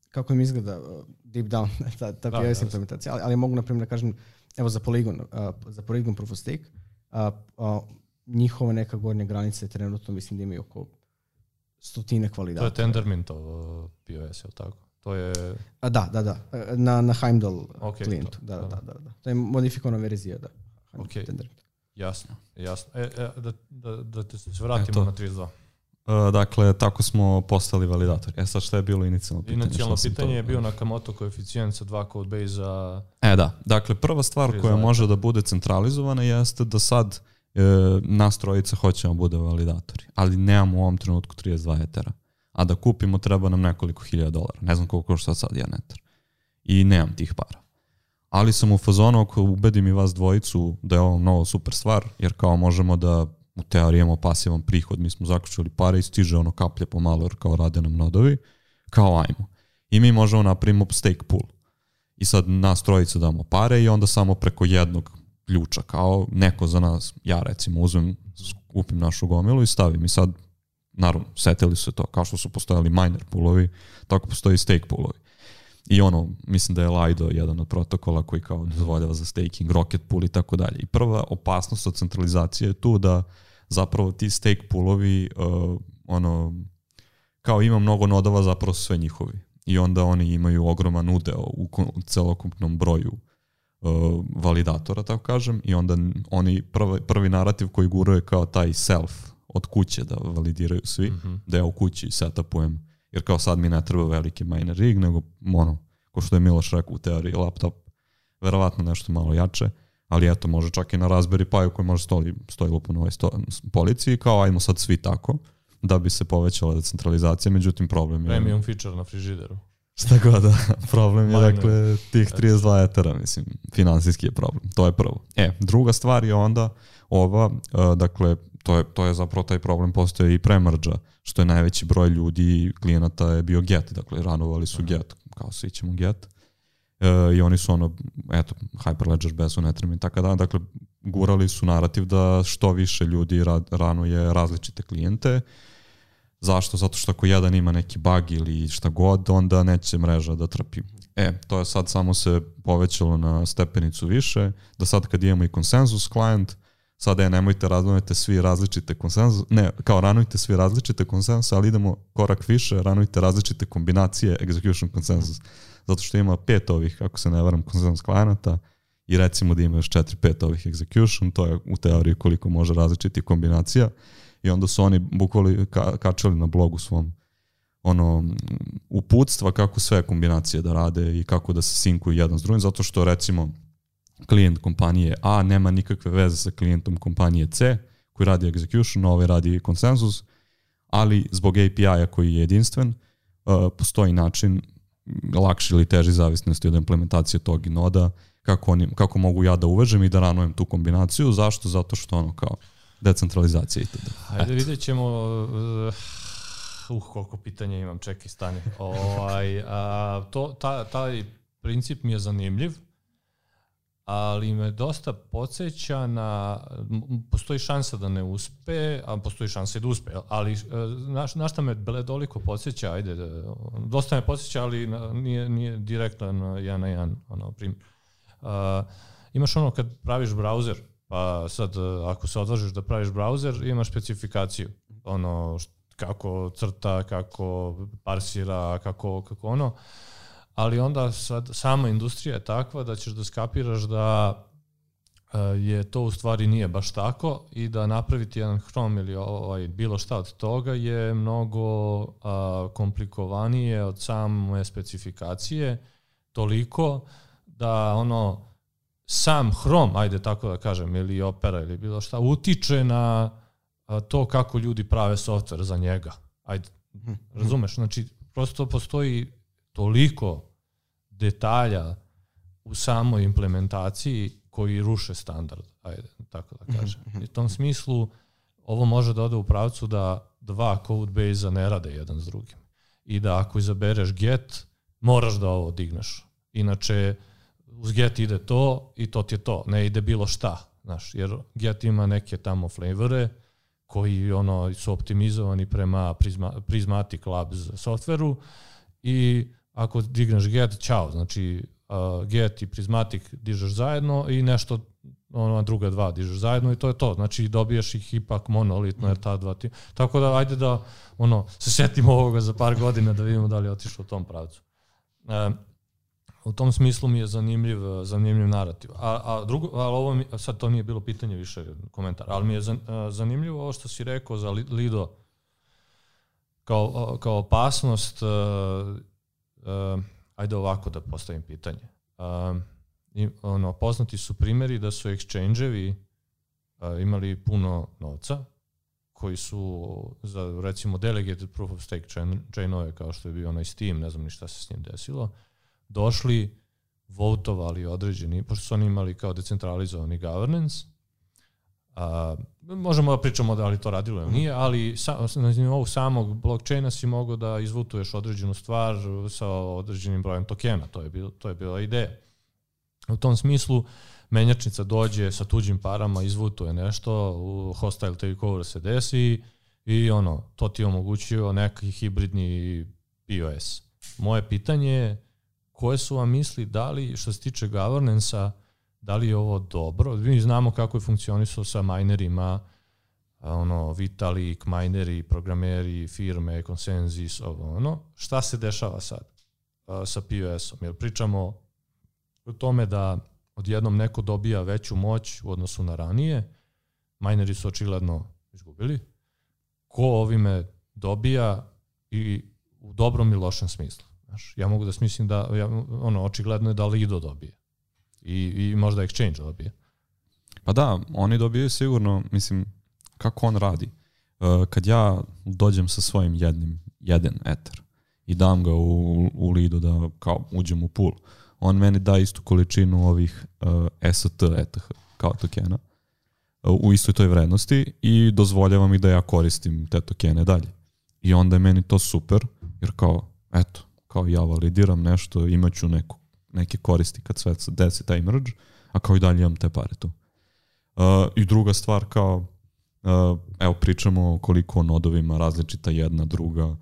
kako im izgleda uh, deep down ta, ta P O S implementacija, ali, ali mogu na primjer da kažem, evo za Polygon, uh, za Polygon Proof of Stake, uh, uh, njihova neka gornja granica je trenutno, mislim da imaju oko stotinak validatora. To je Tendermintov P O S, je li tako? To je... A, da, da, da, na, na Heimdall okay, klijentu. To, da, da. Da, da, da. To je modifikovana verzija, da. Ok, Tendermint. jasno, jasno. E, e, da, da, da te se vratimo Eto. na trideset dva. Uh, dakle, tako smo postali validator. E sad šta je bilo inicijalno pitanje? Inicijalno Šta pitanje to... je bio Nakamoto koeficijent sa dva Codebase-a. E da, dakle prva stvar koja može da bude centralizovana jeste da sad e, nas trojica hoćemo bude validatori, ali nemamo u ovom trenutku trideset dva etera. A da kupimo treba nam nekoliko hiljada dolara. Ne znam koliko košta sad jedan eter. I nemam tih para. Ali sam u fazonu ako ubedim i vas dvojicu da je ovo mnogo super stvar, jer kao možemo da u teoriji imamo pasivan prihod, mi smo zaključili pare i stiže ono kaplje pomalo jer kao rade nam nodovi, kao ajmo. I mi možemo napravimo stake pool. I sad nas trojica damo pare i onda samo preko jednog ključa, kao neko za nas, ja recimo uzmem, kupim našu gomilu i stavim. I sad, naravno, setili su to, kao što su postojali miner poolovi, tako postoji stake poolovi. I ono, mislim da je Lido jedan od protokola koji kao dozvoljava za staking, Rocket pool i tako dalje. I prva opasnost od centralizacije je tu da zapravo ti stake poolovi, uh, ono, kao ima mnogo nodova, zapravo su sve njihovi. I onda oni imaju ogroman udeo u, u celokupnom broju uh, validatora, tako kažem, i onda oni prvi, prvi narativ koji guruje kao taj self od kuće da validiraju svi, mm-hmm. da ja u kući setupujem, jer kao sad mi ne treba veliki miner rig, nego ono, ko što je Miloš rekao u teoriji, laptop, verovatno nešto malo jače, ali eto, može čak i na Raspberry Pi koji može stoji, stoji lupo na ovoj sto, policiji, kao ajmo sad svi tako, da bi se povećala decentralizacija, međutim problem je... Premium feature na frižideru. Šta god, da. Problem je, dakle, tih trideset dva etera, mislim, finansijski je problem. To je prvo. E, druga stvar je onda ova, uh, dakle, to je, to je zapravo taj problem postoje i pre mrža, što je najveći broj ljudi, klijenata je bio Get, dakle, ranovali su Get, kao svi ćemo Get. Uh, I oni su ono, eto, Hyperledger, Besu, Netrim i tako da, dakle, gurali su narativ da što više ljudi rad, ranuje različite klijente, Zašto? Zato što ako jedan ima neki bug ili šta god, onda neće mreža da trpi. E, to je sad samo se povećalo na stepenicu više, da sad kad imamo i konsenzus client, sada je nemojte ranujte svi različite konsenzus, ne, kao ranujte svi različite konsenzus, ali idemo korak više, ranujte različite kombinacije execution konsenzus. Zato što ima pet ovih, ako se ne varam, konsenzus klijenata i recimo da ima još četiri, pet ovih execution, to je u teoriji koliko može različitih kombinacija i onda su oni bukvali ka, kačali na blogu svom ono uputstva kako sve kombinacije da rade i kako da se sinkuju jedan s drugim, zato što recimo klijent kompanije A nema nikakve veze sa klijentom kompanije C koji radi execution, ovaj radi konsenzus, ali zbog A P I-a koji je jedinstven, uh, postoji način lakši ili teži zavisnosti od implementacije tog noda, kako, oni, kako mogu ja da uvežem i da ranujem tu kombinaciju. Zašto? Zato što ono kao decentralizacija itd. Hajde vidjet ćemo... Uh, koliko pitanja imam, čekaj, stani. Ovaj, a, to, ta, taj princip mi je zanimljiv, ali me dosta podsjeća na, postoji šansa da ne uspe, a postoji šansa i da uspe, ali na, na šta me bledoliko podsjeća, ajde, dosta me podsjeća, ali nije, nije direktno na jedan na jedan, ono, primjer. Uh, imaš ono kad praviš browser, pa sad ako se odvažiš da praviš browser, imaš specifikaciju, ono, kako crta, kako parsira, kako, kako ono, ali onda sad sama industrija je takva da ćeš da skapiraš da je to u stvari nije baš tako i da napraviti jedan Chrome ili ovaj, bilo šta od toga je mnogo a, komplikovanije od same specifikacije, toliko da ono sam Chrome, ajde tako da kažem, ili Opera ili bilo šta, utiče na a, to kako ljudi prave software za njega. Ajde, razumeš? Znači, prosto postoji toliko detalja u samoj implementaciji koji ruše standard, ajde, tako da kažem. I u tom smislu ovo može da ode u pravcu da dva code base-a ne rade jedan s drugim. I da ako izabereš get, moraš da ovo digneš. Inače, uz get ide to i to ti je to, ne ide bilo šta. Znaš, jer get ima neke tamo flavore koji ono, su optimizovani prema Prisma, Prismatic Labs softveru i ako digneš get, čao, znači uh, get i Prismatic dižeš zajedno i nešto, ono, druga dva dižeš zajedno i to je to. Znači dobiješ ih ipak monolitno, jer ta dva ti... Tako da, ajde da ono, se setimo ovoga za par godina da vidimo da li je otišlo u tom pravcu. Uh, u tom smislu mi je zanimljiv, zanimljiv narativ. A, a drugo, ali ovo mi, sad to nije bilo pitanje, više komentar, ali mi je zanimljivo ovo što si rekao za Lido kao, kao opasnost. Uh, Uh, ajde ovako da postavim pitanje. Uh, i, ono, poznati su primjeri da su exchange-evi uh, imali puno novca koji su za recimo delegated proof of stake chain, chainove kao što je bio onaj Steam, ne znam ni šta se s njim desilo, došli, votovali određeni, pošto su oni imali kao decentralizovani governance. Uh, možemo da pričamo da li to radilo ili nije, ali sa, na nivou samog blockchaina si mogao da izvutuješ određenu stvar sa određenim brojem tokena, to je, bil, to je bila ideja. U tom smislu menjačnica dođe sa tuđim parama, izvutuje nešto, u hostile takeover se desi i ono, to ti omogućuje neki hibridni P O S. Moje pitanje je koje su vam misli, da li što se tiče governance-a, da li je ovo dobro? Mi znamo kako je funkcionisao sa minerima, ono, Vitalik, mineri, programeri, firme, Consensus, ono. Šta se dešava sad uh, sa P O S-om? Jer pričamo o tome da odjednom neko dobija veću moć u odnosu na ranije, mineri su očigledno izgubili. Ko ovime dobija i u dobrom i lošem smislu? Znaš, ja mogu da smislim da, ja, ono, očigledno je da Lido dobije. I, i možda exchange dobije. Pa da, oni dobiju sigurno, mislim, kako on radi. Uh, kad ja dođem sa svojim jednim, jedan Ether i dam ga u, u Lido da kao uđem u pool, on meni da istu količinu ovih uh, S T E T H kao tokena uh, u istoj toj vrednosti i dozvoljava mi da ja koristim te tokene dalje. I onda je meni to super, jer kao, eto, kao ja validiram nešto, imaću neku neke koristi kad sve desi taj merge, a kao i dalje imam te pare tu. Uh, I druga stvar, kao Uh, evo pričamo koliko nodovima različita jedna, druga.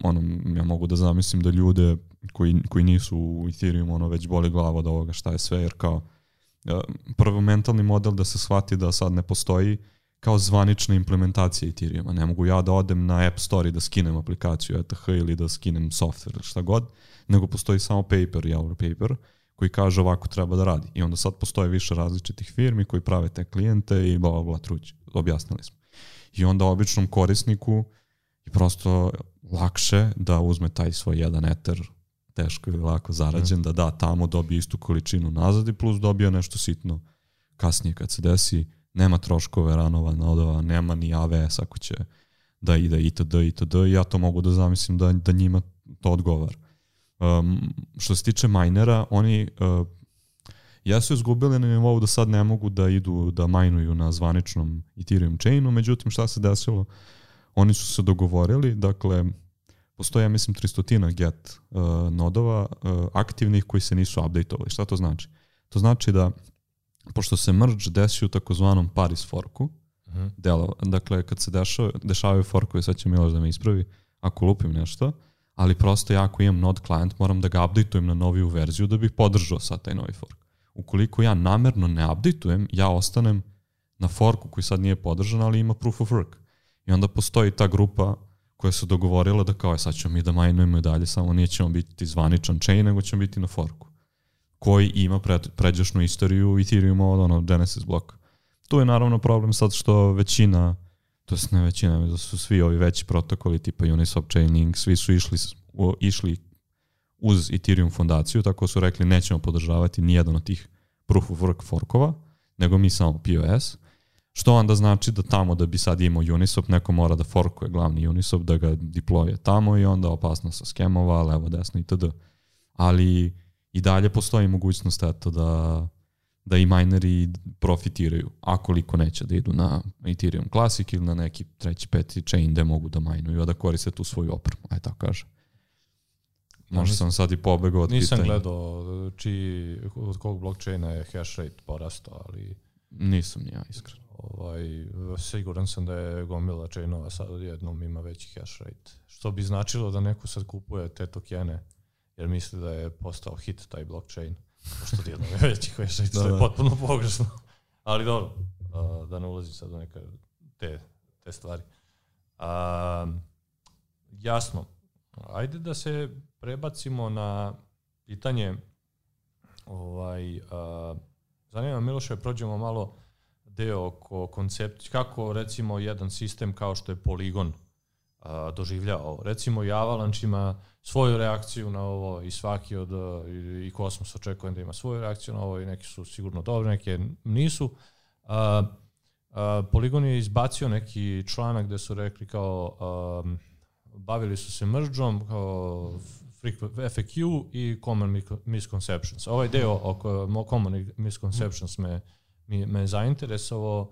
Ono, ja mogu da zamislim da ljude koji, koji nisu u Ethereum ono već boli glava od ovoga šta je sve, jer kao uh, prvo mentalni model da se shvati da sad ne postoji kao zvanična implementacija Ethereuma. Ne mogu ja da odem na App Store i da skinem aplikaciju E T H ili da skinem software ili šta god, nego postoji samo paper i our paper koji kaže ovako treba da radi. I onda sad postoje više različitih firmi koji prave te klijente i bla bla bla truć. Objasnili smo. I onda običnom korisniku je prosto lakše da uzme taj svoj jedan Ether, teško ili lako zarađen, mm. da da tamo, dobije istu količinu nazad i plus dobije nešto sitno kasnije kad se desi. Nema troškove ranova, nodova, nema ni A V S ako će da ide itd. itd. I ja to mogu da zamislim da, da njima to odgovara. Um, što se tiče minera, oni uh, jesu izgubili na nivou da sad ne mogu da idu da majnuju na zvaničnom Ethereum chainu, međutim šta se desilo? Oni su se dogovorili, dakle, postoje, ja mislim, tristotina get uh, nodova uh, aktivnih koji se nisu updateovali. Šta to znači? To znači da pošto se merge desi u takozvanom Paris forku, uh-huh. delo, dakle, kad se dešava, dešavaju forkovi, sad će Miloš da me ispravi, ako lupim nešto, ali prosto ja ako imam node client, moram da ga updateujem na noviju verziju da bih podržao sad taj novi fork. Ukoliko ja namerno ne updateujem, ja ostanem na forku koji sad nije podržan, ali ima proof of work. I onda postoji ta grupa koja se dogovorila da kao je sad ćemo mi da majnujemo i dalje, samo nije ćemo biti zvaničan chain, nego ćemo biti na forku koji ima pred, pređašnu istoriju Ethereuma od ono Genesis bloka. Tu je naravno problem sad što većina, to je ne većina, da su svi ovi veći protokoli tipa Uniswap, Chainlink, svi su išli, išli uz Ethereum fondaciju, tako su rekli nećemo podržavati nijedan od tih proof of work forkova, nego mi samo P O S, što onda znači da tamo da bi sad imao Uniswap, neko mora da forkuje glavni Uniswap, da ga deploye tamo i onda opasno sa skemova, levo, desno itd. Ali i dalje postoji mogućnost eto da, da i mineri profitiraju, a koliko neće da idu na Ethereum Classic ili na neki treći, peti chain gde mogu da majnuju, a da koriste tu svoju opremu, aj tako kaže. Možda sam sad i pobegao od pitanja. Nisam gledao čiji, od kog blockchaina je hash rate porastao, ali... Nisam ni ja, iskreno. Ovaj, siguran sam da je gomila chainova sad odjednom ima veći hash rate. Što bi značilo da neko sad kupuje te tokene, jer misli da je postao hit taj blockchain. Pošto odjednom je veći hash rate, što je potpuno pogrešno. Ali dobro, da ne ulazim sad u neke te, te stvari. A, jasno, ajde da se prebacimo na pitanje ovaj, a, zanima Miloše, prođemo malo deo oko koncept, kako recimo jedan sistem kao što je Polygon a, doživljava. Recimo i Avalanche ima svoju reakciju na ovo i svaki od, i, i Cosmos očekujem da ima svoju reakciju na ovo i neki su sigurno dobri, neke nisu. A, a, Polygon je izbacio neki članak gde su rekli kao a, bavili su se mergeom kao F A Q i Common Misconceptions. Ovaj deo oko Common Misconceptions me, me zainteresovao,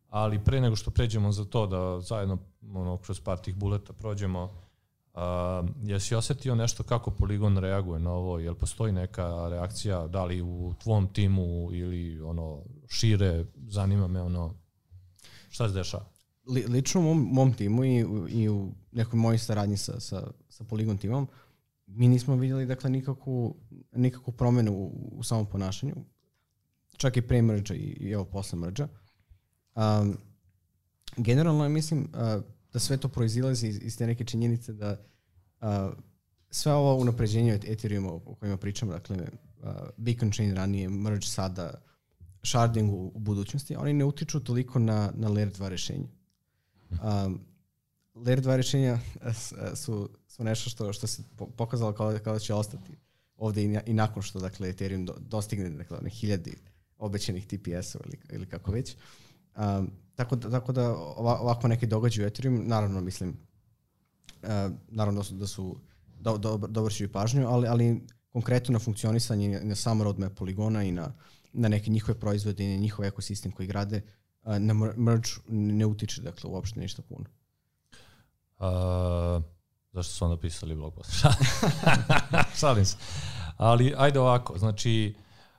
ali pre nego što pređemo za to da zajedno ono, kroz par tih buleta prođemo, a, jesi osetio nešto kako Polygon reaguje na ovo? Jel postoji neka reakcija, da li u tvom timu ili ono šire, zanima me ono, šta se dešava? Li, lično u mom, mom timu i, i u nekoj mojoj saradnji sa, sa, sa Polygon timom, mi nismo vidjeli dakle nikakvu, nikakvu promjenu u, u samom ponašanju, čak i pre merge i, i evo posle merge. Um, generalno mislim uh, da sve to proizilazi iz, iz te neke činjenice da uh, sve ovo unapređenje od Ethereuma o kojima pričamo, dakle uh, Beacon Chain ranije, merge sada, sharding u, u budućnosti, oni ne utiču toliko na, na layer dva rešenja. Um, layer dva rješenja su, su nešto što, što se pokazalo kao, kao da će ostati ovdje i, i nakon što dakle, Ethereum do, dostigne dakle, one hiljadi obećanih T P S-ova ili, ili kako već. Um, tako, da, tako da ovako neki događaju u Ethereum, naravno mislim, uh, naravno da su, da su do, do, dobro ću i pažnju, ali, ali konkretno na funkcionisanje na sam roadmap Polygona i na, na neke njihove proizvode i na njihov ekosistem koji grade, uh, na merge ne utiče dakle, uopšte ništa puno. Uh, zašto su onda pisali blog post? Šalim se. Ali ajde ovako, znači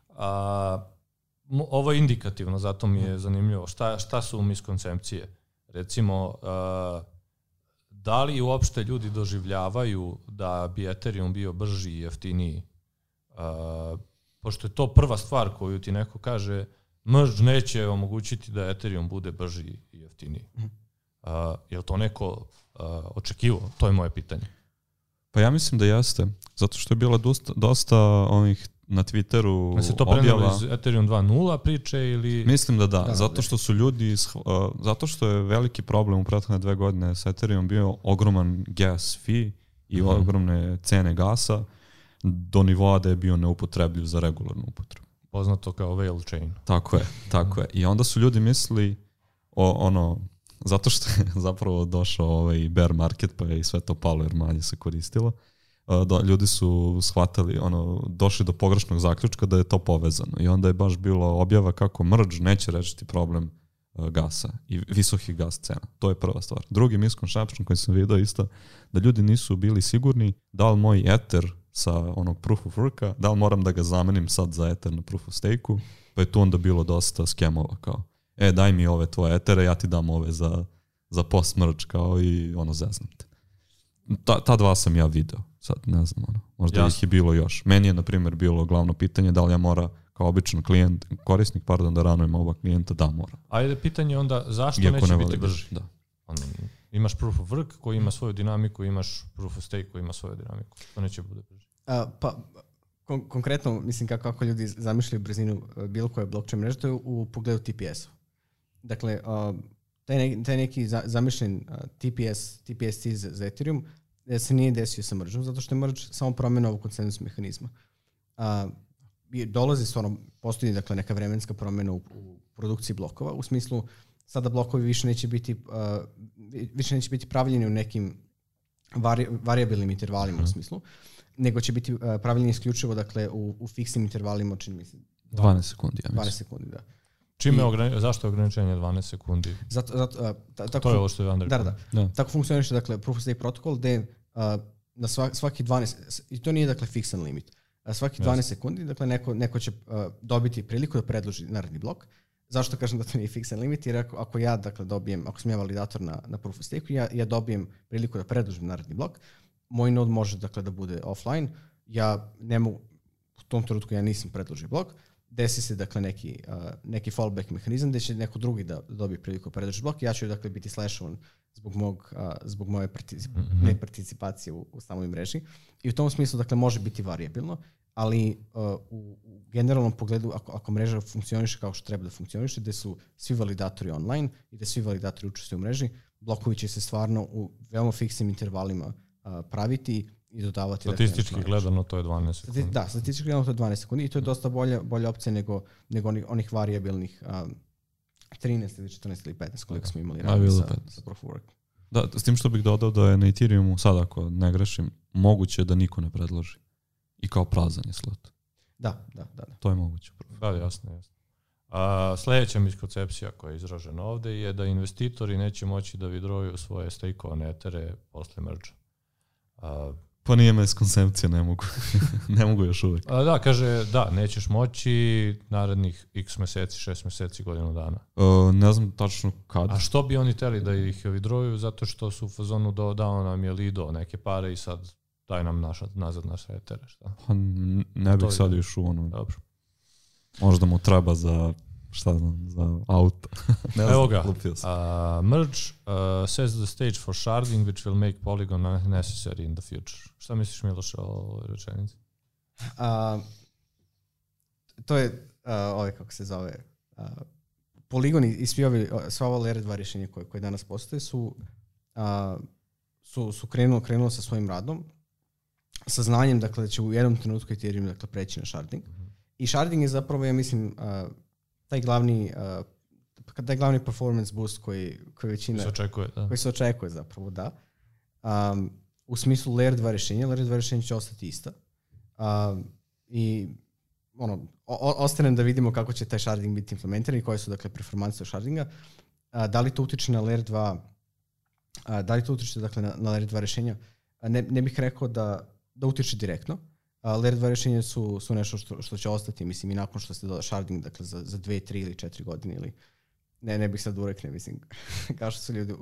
uh, ovo je indikativno, zato mi je zanimljivo. Šta, šta su miskoncepcije? Recimo, uh, da li uopšte ljudi doživljavaju da bi Ethereum bio brži i jeftiniji? Uh, pošto je to prva stvar koju ti neko kaže, merge neće omogućiti da Ethereum bude brži i jeftiniji. Uh, je li to neko uh, očekivao? To je moje pitanje. Pa ja mislim da jeste, zato što je bilo dosta, dosta onih na Twitteru da se to objava. prenelo iz Ethereum dva nula priče ili... Mislim da da, da zato što su ljudi, uh, zato što je veliki problem u prethodne dve godine sa Ethereum bio ogroman gas fee i mm. ogromne cene gasa do nivoa da je bio neupotrebljiv za regularnu upotrebu. Poznato kao whale chain. Tako je, tako je. I onda su ljudi mislili o ono, zato što je zapravo došao ovaj bear market pa je i sve to palo jer manje se koristilo. Da, ljudi su shvatili, ono, došli do pogrešnog zaključka da je to povezano i onda je baš bilo objava kako merge neće rešiti problem uh, gasa i visokih gas cena. To je prva stvar. Drugi misconception koji sam vidio isto, da ljudi nisu bili sigurni da li moj Ether sa onog proof of worka, da li moram da ga zamenim sad za Ether na proof of stake-u, pa je tu onda bilo dosta skemova kao, e daj mi ove tvoje Ethere, ja ti dam ove za, za post merge kao i ono zeznam te. Ta, ta dva sam ja video. Sad ne znam, ono, možda Jasne. ih je bilo još. Meni je, na primjer, bilo glavno pitanje da li ja mora kao običan klijent, korisnik, pardon, da ranujem oba klijenta, da mora. Ajde, pitanje onda, zašto Iako neće ne biti brži? Da. Ono, imaš proof of work koji ima svoju dinamiku, imaš proof of stake koji ima svoju dinamiku. To neće bude brži. A, pa, kon- konkretno, mislim kako, kako ljudi zamišljaju brzinu bilo koje blockchain mreže, to je u, u pogledu T P S-a. Dakle, uh, taj, ne, taj neki za, zamišljen uh, T P S, T P S C za, za Ethereum se nije desio sa mergeom, zato što je merge samo promjena ovog konsenzus mehanizma. A, dolazi stvarno, postoji dakle, neka vremenska promjena u, u produkciji blokova, u smislu sada blokovi više neće biti, uh, više neće biti pravljeni u nekim vari, variabilnim intervalima mm. u smislu, nego će biti uh, pravljeni isključivo dakle, u, u fiksnim intervalima, čini mi se. dvanaest sekundi, ja mislim. dvanaest sekundi, da. Čime ograni- zašto je ograničenje dvanaest sekundi? Zato, zato, uh, ta, tako, to je ovo što je Andrej. Da, da, da. Tako funkcioniše dakle, proof of stake protokol gde uh, na svaki, svaki dvanaest, i to nije dakle fiksan limit, uh, svaki dvanaest yes. sekundi dakle, neko, neko će uh, dobiti priliku da predloži naredni blok. Zašto kažem da to nije fiksan limit? Jer ako, ako ja dakle, dobijem, ako sam ja validator na, na proof of stake, ja, ja dobijem priliku da predložim naredni blok, moj node može dakle, da bude offline, ja ne mogu, u tom trenutku ja nisam predložio blok, desi se dakle neki, uh, neki fallback mehanizam gde će neko drugi da dobije priliku da predloži blok i ja ću dakle biti slashovan zbog, mog, uh, zbog moje particip- mm-hmm. neparticipacije u, u samoj mreži. I u tom smislu dakle može biti variabilno, ali uh, u, u generalnom pogledu ako, ako mreža funkcioniše kao što treba da funkcioniše, gde su svi validatori online i da svi validatori učestvuju u mreži, blokovi će se stvarno u veoma fiksnim intervalima uh, praviti i dodavati. Statistički dakle, gledano to je dvanaest sekundi. Da, statistički gledano to je dvanaest sekundi i to je dosta bolja, bolja opcija nego, nego onih, onih variabilnih um, trinaest ili četrnaest ili petnaest koliko smo imali radi sa, sa proof of work. Da, s tim što bih dodao da je na Ethereumu sad ako ne grešim, moguće da niko ne predloži. I kao prazan je slot. Da, da, da. da. To je moguće. Da, jasno, jasno. A, sljedeća miskoncepcija koja je izražena ovde je da investitori neće moći da withdrawuju svoje stakeovane etere posle merge. A, pa nije miskoncepcija, ne mogu. ne mogu još uvijek. A, da, kaže, da, nećeš moći narednih x meseci, šest meseci, godinu dana. Uh, ne znam tačno kad. A što bi oni teli da ih withdrawuju? Zato što su u fazonu do, dao nam je Lido neke pare i sad daj nam naša, nazad naše etere, šta? Pa ne bih sad još u ono. Dobro. Možda mu treba za, šta znam, za auto. ne Evo ga. Uh, merge uh, sets the stage for sharding which will make Polygon unnecessary in the future. Šta misliš, Miloš, o ovoj rečenici? Uh, to je, uh, ovaj kako se zove, uh, Polygon i svi ovi, sva ova layer dva rješenja koje, koje danas postoje su, uh, su, su krenulo, krenulo sa svojim radom, sa znanjem dakle, da će u jednom trenutku Ethereum dakle, preći na sharding. Mm-hmm. I sharding je zapravo, ja mislim, uh, taj glavni uh, taj glavni performance boost koji, koji većina... Se očekuje, da. Koji se očekuje zapravo, da. Um, u smislu layer dva rješenja, layer dva rješenja će ostati ista. Um, I ono, o, ostanem da vidimo kako će taj sharding biti implementiran i koje su dakle performanse shardinga. Uh, da li to utiče na layer dva, uh, da li to utiče dakle, na, na layer dva rješenja? Uh, ne, ne bih rekao da da utiče direktno. Uh, layer dva rješenja su, su nešto što, što će ostati, mislim, i nakon što se doda sharding, dakle, za, za dve, tri ili četiri godine ili, ne, ne bih sad urekne, mislim, kao što su ljudi uh,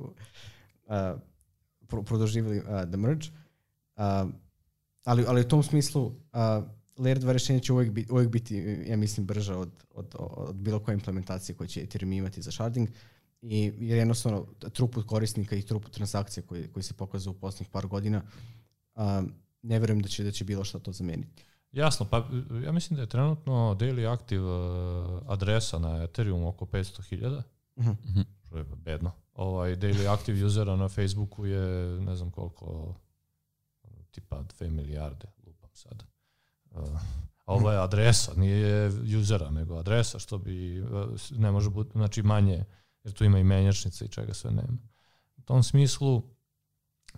pro, produživali uh, the merge. Uh, ali, ali u tom smislu uh, layer dva rešenja će uvijek biti, uvijek biti, ja mislim, brža od, od, od bilo koje implementacije koje će Ethereum imati za sharding. I jer jednostavno throughput korisnika i throughput transakcija koji, koji se pokazao u posljednjih par godina, um, ne verujem da će, da će bilo što to zameniti. Jasno, pa ja mislim da je trenutno daily active adresa na Ethereum oko petsto hiljada. Uh-huh. Što je bedno. Ovaj, daily active usera na Facebooku je ne znam koliko, tipa dve milijarde, lupam sad. Uh, a ovo je adresa, nije usera, nego adresa, što bi ne može biti, znači manje, jer tu ima i menjačnice i čega sve nema. U tom smislu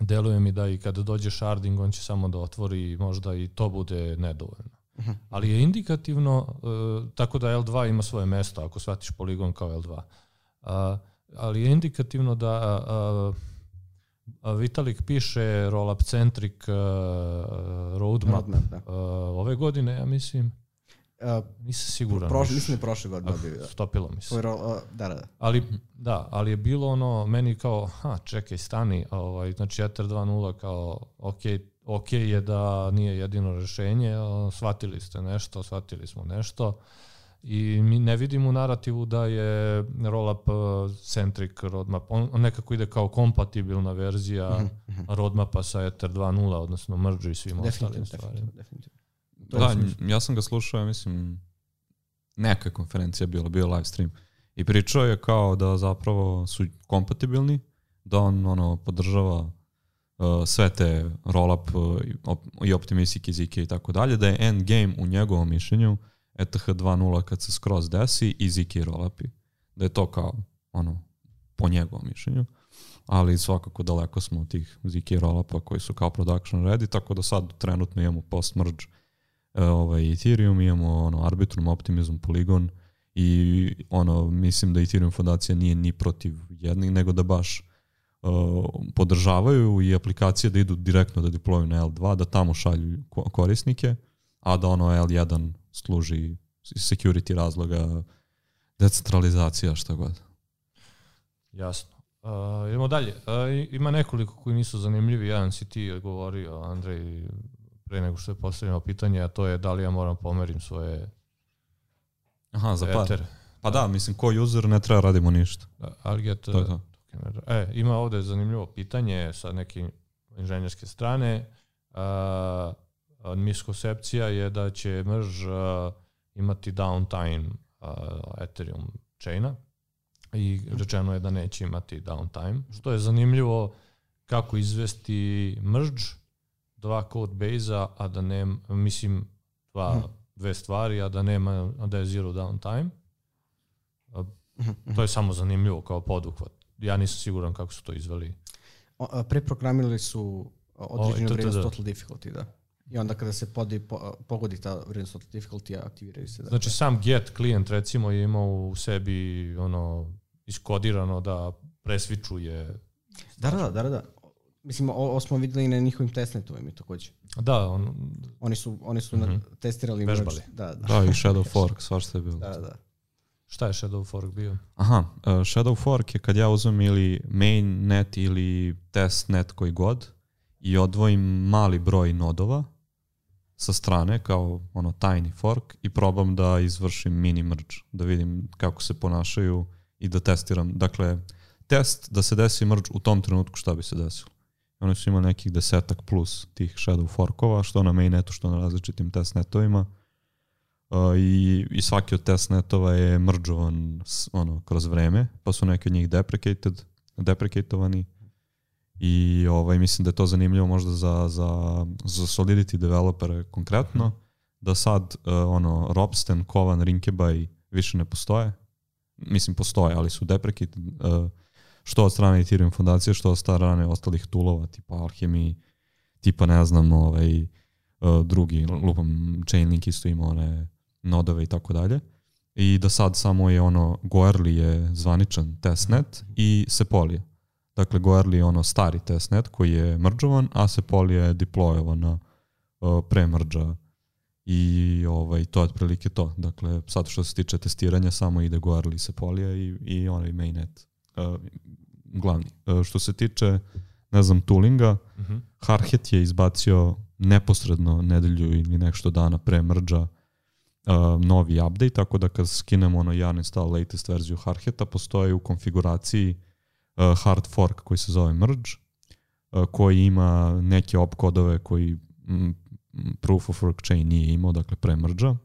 deluje mi da i kada dođe sharding, on će samo da otvori, možda i to bude nedovoljno. Uh-huh. Ali je indikativno, uh, tako da L dva ima svoje mesto, ako shvatiš poligon kao L dva. Uh, ali je indikativno da uh, uh, Vitalik piše roll-up centric uh, roadmap, roadmap da. uh, ove godine, ja mislim. Uh, Nisam siguran. Proš, mislim da je prošle godine bio. Da. Stopilo mi se. Uh, da, da, da. Ali, da, ali je bilo ono, meni kao, ha, čekaj, stani, ovaj, znači Ether dva nula kao, ok, ok je da nije jedino rešenje, shvatili ste nešto, shvatili smo nešto i mi ne vidimo u narativu da je rollup centric roadmap, on, on nekako ide kao kompatibilna verzija uh-huh. roadmapa sa Ether dva nula, odnosno merge i svim ostalim stvarima. Definitivno. Da, ja sam ga slušao, ja mislim, neka konferencija bila, bio live stream. I pričao je kao da zapravo su kompatibilni, da on ono podržava uh, sve te rollup uh, i optimistic i zk i tako dalje, da je end game u njegovom mišljenju E T H dva nula kad se skroz desi i zk rollupi. Da je to kao ono po njegovom mišljenju. Ali svakako daleko smo od tih zk rollupa koji su kao production ready, tako da sad trenutno imamo post-merge ovaj Ethereum, imamo ono Arbitrum, Optimism, Polygon i ono mislim da Ethereum fondacija nije ni protiv jednih, nego da baš uh, podržavaju i aplikacije da idu direktno da deployuju na L dva, da tamo šalju korisnike, a da ono L jedan služi security razloga, decentralizacija, šta god. Jasno. Uh, idemo dalje. Uh, ima nekoliko koji nisu zanimljivi. Jedan si ti govorio, Andrej, pre nego što je postavljeno pitanje, a to je da li ja moram pomerim svoje Aha, za par. etere. Pa da, mislim, ko user ne treba radimo ništa. Da, Arget, to je to. E, ima ovde zanimljivo pitanje sa neke inženjerske strane. Uh, miskoncepcija je da će merge uh, imati downtime uh, Ethereum chaina i rečeno je da neće imati downtime, što je zanimljivo kako izvesti merge dva code base-a, a da nema, mislim, dva, hmm. dve stvari, a da nema, a da je zero downtime. Uh, to je samo zanimljivo kao poduhvat. Ja nisam siguran kako su to izveli. O, preprogramirali su određenu vrijednost total difficulty, da. I onda kada se podi, po, pogodi ta vrijednost total difficulty, aktiviraju se. Dakle. Znači sam get klijent recimo je imao u sebi ono iskodirano da presvičuje. Da, da, da, da. Mislim, ovo smo videli na njihovim testnetovima i takođe. Da, on, oni su, oni su mm-hmm. testirali. Vežbali. Da, da. Da, i Shadow Fork, svašta je bilo. Da, da. Šta je Shadow Fork bio? Aha, uh, Shadow Fork je kad ja uzmem ili mainnet ili testnet koji god i odvojim mali broj nodova sa strane kao ono tiny fork i probam da izvršim mini merge, da vidim kako se ponašaju i da testiram. Dakle, test da se desi merge u tom trenutku šta bi se desilo. Oni su imali nekih desetak plus tih shadow forkova, što na mainnetu, što na različitim testnetovima. Uh, i, i svaki od testnetova je mergeovan ono, kroz vreme, pa su neki od njih deprecated, deprecatovani. I ovaj, mislim da je to zanimljivo možda za, za, za Solidity developere konkretno, mm. da sad uh, ono, Ropsten, Kovan, Rinkebaj više ne postoje. Mislim postoje, ali su deprecated uh, što od strane Ethereum fondacije, što od strane ostalih toolova, tipa Alchemy, tipa ne znam, ovaj, uh, drugi, lupam, Chainlink isto ima one nodove i tako dalje. I da sad samo je ono, Goerli je zvaničan testnet mm. i Sepolia. Dakle, Goerli je ono stari testnet koji je mergeovan, a Sepolia je deployovan na uh, pre merge i ovaj, to je otprilike to. Dakle, sad što se tiče testiranja, samo ide Goerli se polija i, i onaj mainnet. Uh, glavni. Uh, što se tiče, ne znam, toolinga, uh-huh. Hardhat je izbacio neposredno nedelju ili nešto dana pre mrdža uh, novi update, tako da kad skinemo ono yarn install latest verziju Hardhata, postoji u konfiguraciji uh, hard fork koji se zove merge, uh, koji ima neke opkodove koji m, proof of work chain nije imao, dakle pre mrdža. Uh,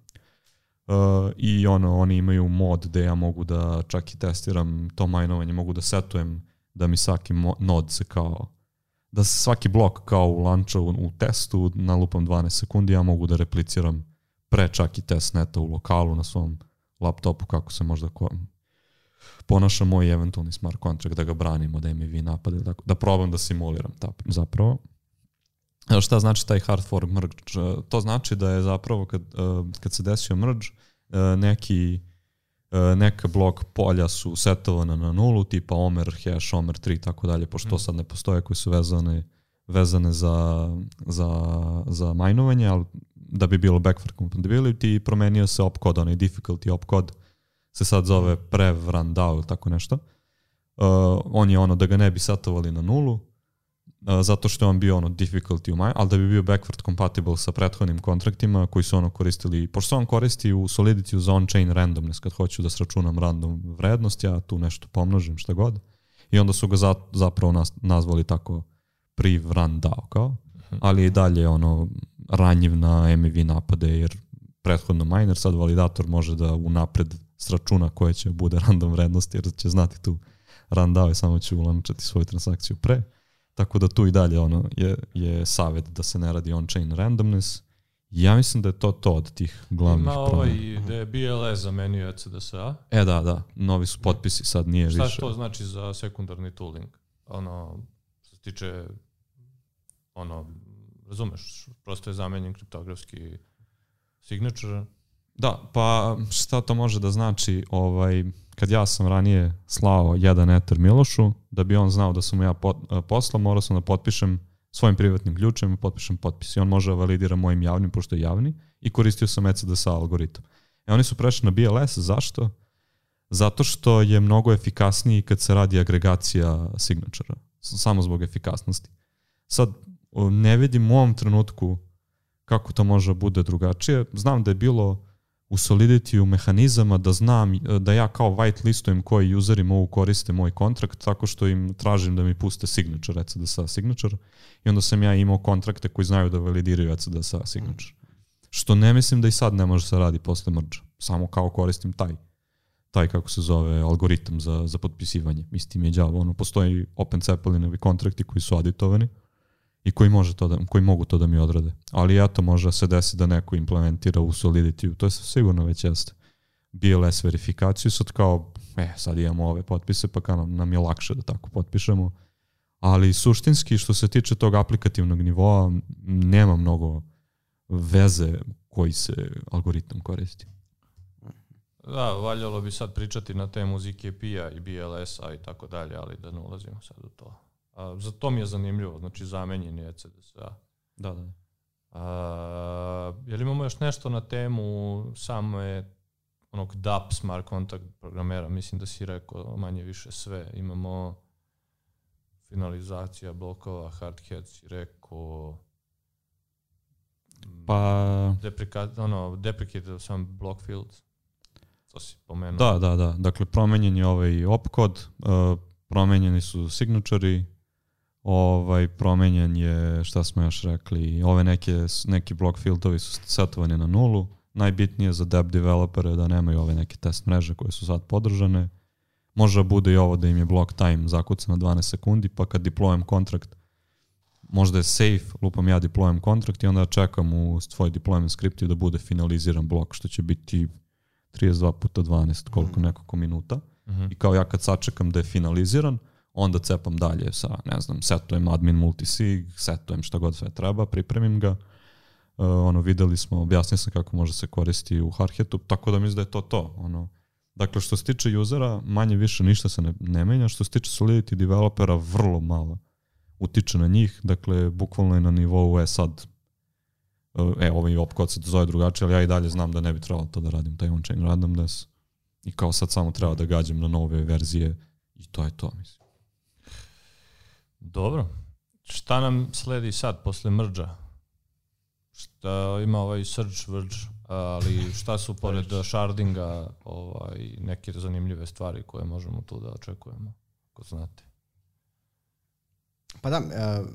i ono, oni imaju mod gde ja mogu da čak i testiram to majnovanje, mogu da setujem da mi svaki nod se kao, da se svaki blok kao u launchu u, u testu na lupam dvanaest sekundi, ja mogu da repliciram pre čak i testneta u lokalu na svom laptopu kako se možda ko, ponaša moj eventualni smart contract, da ga branim od M V napade, da, da probam da simuliram ta, zapravo. Evo šta znači taj hard fork merge? To znači da je zapravo kad, kad se desio merge, neki, neka blok polja su setovana na nulu, tipa Omer, hash, Omer tri i tako dalje, pošto mm. sad ne postoje koji su vezane, vezane za, za, za majnovanje, ali da bi bilo backward compatibility, promenio se opkod, onaj difficulty opkod se sad zove prev run down ili tako nešto. Uh, on je ono da ga ne bi setovali na nulu, Uh, zato što je on bio ono difficulty u maj, ali da bi bio backward compatible sa prethodnim kontraktima koji su ono koristili, pošto on koristi u Solidity za on-chain randomness, kad hoću da sračunam random vrednost, ja tu nešto pomnožim, šta god. I onda su ga za, zapravo nas, nazvali tako priv run down, kao. Ali i dalje ono ranjiv na M V napade, jer prethodno miner, sad validator može da unapred sračuna koje će bude random vrednost, jer će znati tu run down i samo će ulančati svoju transakciju pre. Tako da tu i dalje ono je, je savjet da se ne radi on-chain randomness. Ja mislim da je to to od tih glavnih promjena. Ima ovaj da je B L S zamenio E C D S A. E da, da. Novi su potpisi, sad nije Šta više. Šta to znači za sekundarni tooling? Ono, što se tiče, ono, razumeš, prosto je zamenjen kriptografski signature. Da, pa šta to može da znači, ovaj, kad ja sam ranije slao jedan Ether Milošu, da bi on znao da sam mu ja pot, poslao, morao sam da potpišem svojim privatnim ključem i potpišem potpis. I on može da validira mojim javnim, pošto je javni, i koristio sam E C D S A algoritam. E oni su prešli na B L S, zašto? Zato što je mnogo efikasniji kad se radi agregacija signatura, samo zbog efikasnosti. Sad, ne vidim u ovom trenutku kako to može bude drugačije. Znam da je bilo u Solidity-u mehanizama da znam da ja kao white listujem koji useri mogu koriste moj kontrakt tako što im tražim da mi puste signature, E C D S A signature, i onda sam ja imao kontrakte koji znaju da validiraju E C D S A signature. Što ne mislim da i sad ne može se radi posle merge. Samo kao koristim taj, taj kako se zove, algoritam za, za potpisivanje. Istim je đavo. Ono, postoji Open Zeppelinovi kontrakti koji su aditovani i koji, može to da, koji mogu to da mi odrade. Ali eto, može se desi da neko implementira u Solidity. To je sigurno već jeste. B L S verifikaciju, sad kao, e, sad imamo ove potpise, pa kao nam, nam je lakše da tako potpišemo. Ali suštinski, što se tiče tog aplikativnog nivoa, nema mnogo veze koji se algoritam koristi. Da, valjalo bi sad pričati na temu Z K P-a i B L S-a i tako dalje, ali da ne ulazimo sad u to. A, za to mi je zanimljivo, znači zamenjen je E C D S A. Da, da. A, je li imamo još nešto na temu same onog D A P smart contract programera? Mislim da si rekao manje više sve. Imamo finalizacija blokova, Hardhat si rekao, pa deprecat, ono, deprecated some block fields. To si pomenuo. Da, da, da. Dakle, promenjen je ovaj opkod, uh, promenjeni su signature, ovaj, promenjen je, šta smo još rekli, ove neke, neki block fieldovi su setovani na nulu. Najbitnije za deb developere da nemaju ove neke test mreže koje su sad podržane. Može bude i ovo da im je block time zakuca na dvanaest sekundi, pa kad deployam kontrakt, možda je safe, lupam ja deployam kontrakt i onda čekam u svoj deployment skriptu da bude finaliziran blok, što će biti trideset dva puta dvanaest, koliko nekoliko minuta. Mm-hmm. I kao ja kad sačekam da je finaliziran, onda cepam dalje sa, ne znam, setujem admin multisig, setujem šta god sve treba, pripremim ga. Uh, ono, videli smo, objasnio sam kako može se koristi u Hardhatu, tako da mislim da je to to. Ono. Dakle, što se tiče usera, manje više ništa se ne, ne menja. Što se tiče Solidity developera, vrlo malo utiče na njih. Dakle, bukvalno je na nivou, je sad, e, ovaj opkod se zove drugačije, ali ja i dalje znam da ne bi trebalo to da radim, taj on-chain randomness. I kao sad samo treba da gađam na nove verzije i to je to, mislim. Dobro. Šta nam sledi sad, posle mrdža? Šta ima ovaj search, verge, ali šta su pored shardinga ovaj, neke zanimljive stvari koje možemo tu da očekujemo, ako znate? Pa da, uh,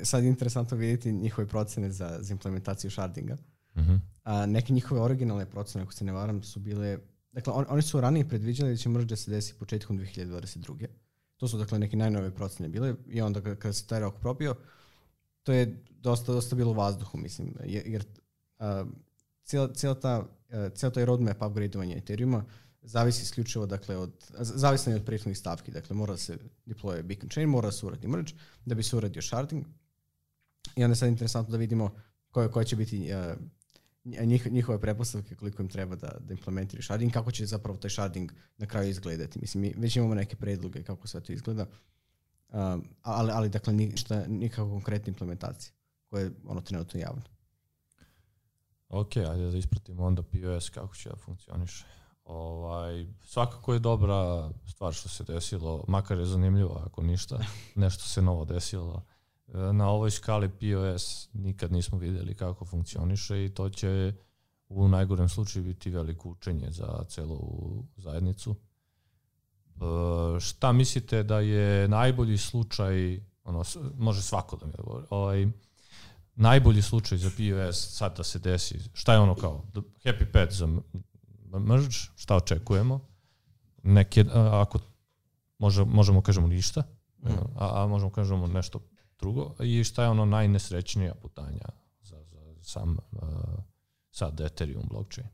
sad je interesantno vidjeti njihove procene za, za implementaciju shardinga. Uh-huh. A neke njihove originalne procene, ako se ne varam, su bile... Dakle, on, oni su ranije predviđali da će merge da se desi početkom dve hiljade dvadeset druge. To su, dakle, neke najnove procene bile i onda kada se taj rok probio, to je dosta, dosta bilo u vazduhu, mislim, jer uh, cijela, cijela ta, uh, cijela taj roadmap upgradeovanja Ethereuma zavisi isključivo, dakle, od, zavisno je od prethodnih stavki, dakle, mora se deploye beacon chain, mora se uradi merge, da bi se uradio sharding. I onda je sad interesantno da vidimo koje, koje će biti uh, njih, njihove pretpostavke, koliko im treba da, da implementiraju sharding, kako će zapravo taj sharding na kraju izgledati. Mislim, mi već imamo neke predloge kako sve to izgleda, um, ali, ali dakle, ništa, nikakva konkretna implementacija koja je ono trenutno javno. Ok, ajde da ispratimo onda P O S kako će da funkcioniše. Ovaj, svakako je dobra stvar što se desilo, makar je zanimljivo ako ništa, nešto se novo desilo. Na ovoj skali P O S nikad nismo vidjeli kako funkcioniše i to će u najgorem slučaju biti veliko učenje za celu zajednicu. E, šta mislite da je najbolji slučaj, ono, može svako da mi govori, ovaj, najbolji slučaj za P O S sad da se desi, šta je ono kao happy path za merge, šta očekujemo, neke, ako može, možemo kažemo ništa, mm. a, a možemo kažemo nešto drugo, i šta je ono najnesrećnija putanja za, za sam uh, sad Ethereum blockchain.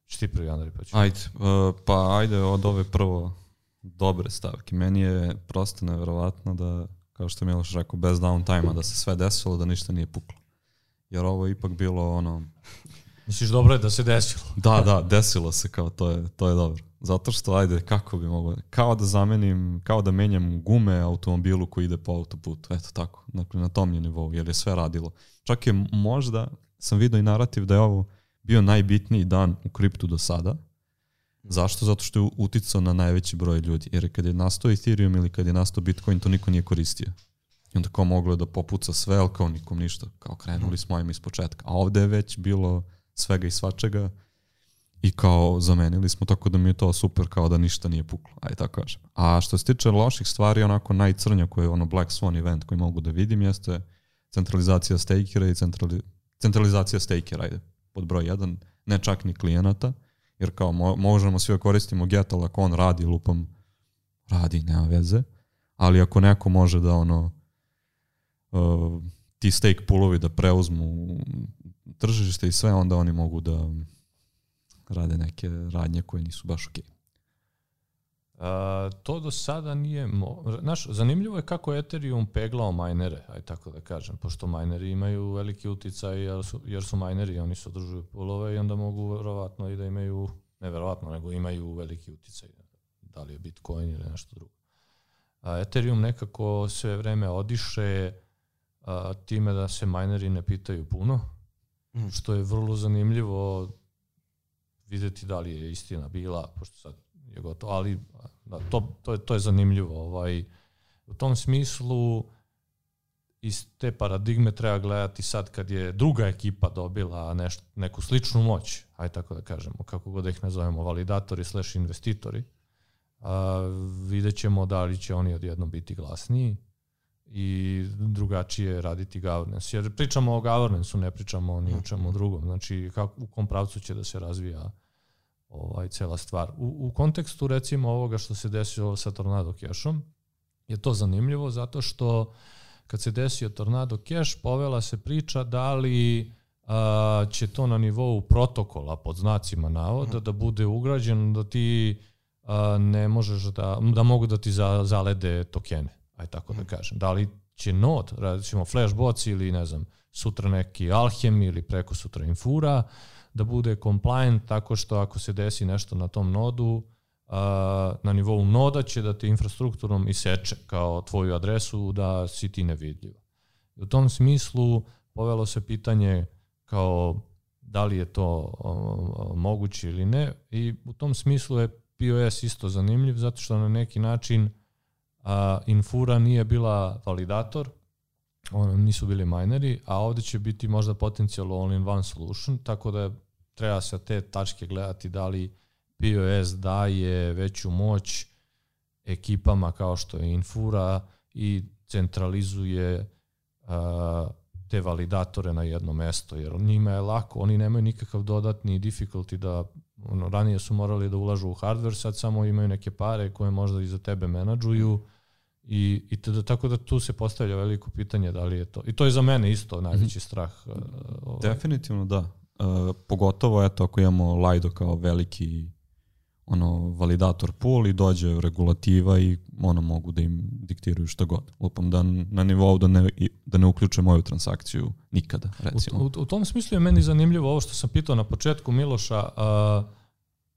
Što ti prvi, Andrej, pa ću? Ajde, uh, pa ajde od ove prvo dobre stavke. Meni je prosto nevjerovatno da, kao što je Miloš rekao, bez downtime-a da se sve desilo, da ništa nije puklo. Jer ovo je ipak bilo ono... Misliš dobro je da se desilo? Da, da, desilo se, kao to je, to je dobro. Zato što, ajde, kako bi moglo, kao da zamenim, kao da menjam gume automobilu koji ide po autoputu, eto tako, dakle na tom je nivou, jer je sve radilo. Čak je možda, sam vidio i narativ da je ovo bio najbitniji dan u kriptu do sada. Zašto? Zato što je uticao na najveći broj ljudi, jer kad je nastao Ethereum ili kad je nastao Bitcoin, to niko nije koristio. I onda kao moglo je da popuca sve, ali kao nikom ništa, kao krenuli smo im iz početka. A ovde je već bilo svega i svačega, i kao zamenili smo, tako da mi je to super, kao da ništa nije puklo, aj tako kažem. A što se tiče loših stvari, onako najcrnja koje je ono Black Swan event koji mogu da vidim jeste centralizacija stakera i centrali, centralizacija stakera, ajde, pod broj jedan, ne čak ni klijenata, jer kao mo, možemo svi da koristimo Get, ali ako on radi, lupam, radi, nema veze, ali ako neko može da ono uh, ti stake poolovi da preuzmu tržište i sve, onda oni mogu da rade neke radnje koje nisu baš okej. Okay. To do sada nije... Mo- Znaš, zanimljivo je kako je Ethereum peglao majnere, aj tako da kažem, pošto majneri imaju veliki uticaj jer su, jer su majneri, oni se održuju poolove i onda mogu verovatno i da imaju, ne verovatno, nego imaju veliki uticaj, da li je Bitcoin ili nešto drugo. A Ethereum nekako sve vreme odiše a, time da se majneri ne pitaju puno, mm. što je vrlo zanimljivo vidjeti da li je istina bila, pošto sad je gotovo, ali da, to, to, je, to je zanimljivo. Ovaj, u tom smislu iz te paradigme treba gledati sad kad je druga ekipa dobila neš, neku sličnu moć, aj tako da kažemo, kako god da ih nazovemo, validatori slash investitori, a, vidjet ćemo da li će oni odjednom biti glasniji i drugačije raditi governance. Jer pričamo o governance-u, ne pričamo ni o čemu drugom. Znači, kako, u kom pravcu će da se razvija ovaj, cela stvar. U, u kontekstu, recimo, ovoga što se desilo sa Tornado Cashom, je to zanimljivo zato što kad se desio Tornado Cash, povela se priča da li a, će to na nivou protokola, pod znacima navoda, da bude ugrađeno da ti a, ne možeš da, da mogu da ti za, zalede tokene. Aj tako da kažem. Da li će node, recimo Flashbots ili ne znam, sutra neki Alchem ili preko sutra Infura, da bude compliant tako što ako se desi nešto na tom nodu, uh, na nivou noda će da te infrastrukturom iseče kao tvoju adresu da si ti nevidljiv. U tom smislu povelo se pitanje kao da li je to o, o, moguće ili ne, i u tom smislu je P O S isto zanimljiv, zato što na neki način a, Infura nije bila validator, on, nisu bili mineri, a ovdje će biti možda potencijalno all-in-one solution, tako da treba sa te tačke gledati da li P O S daje veću moć ekipama kao što je Infura i centralizuje a, te validatore na jedno mesto, jer njima je lako, oni nemaju nikakav dodatni difficulty da, ono, ranije su morali da ulažu u hardware, sad samo imaju neke pare koje možda i za tebe menadžuju i, i tada, tako da tu se postavlja veliko pitanje da li je to, i to je za mene isto najveći strah. Uh, ovaj. Definitivno da, uh, pogotovo eto ako imamo Lido kao veliki ono validator pool i dođe regulativa i ono mogu da im diktiraju šta god. Lupam da na nivou da ne, da ne uključe moju transakciju nikada, recimo. U, u, u tom smislu je meni zanimljivo ovo što sam pitao na početku Miloša, uh,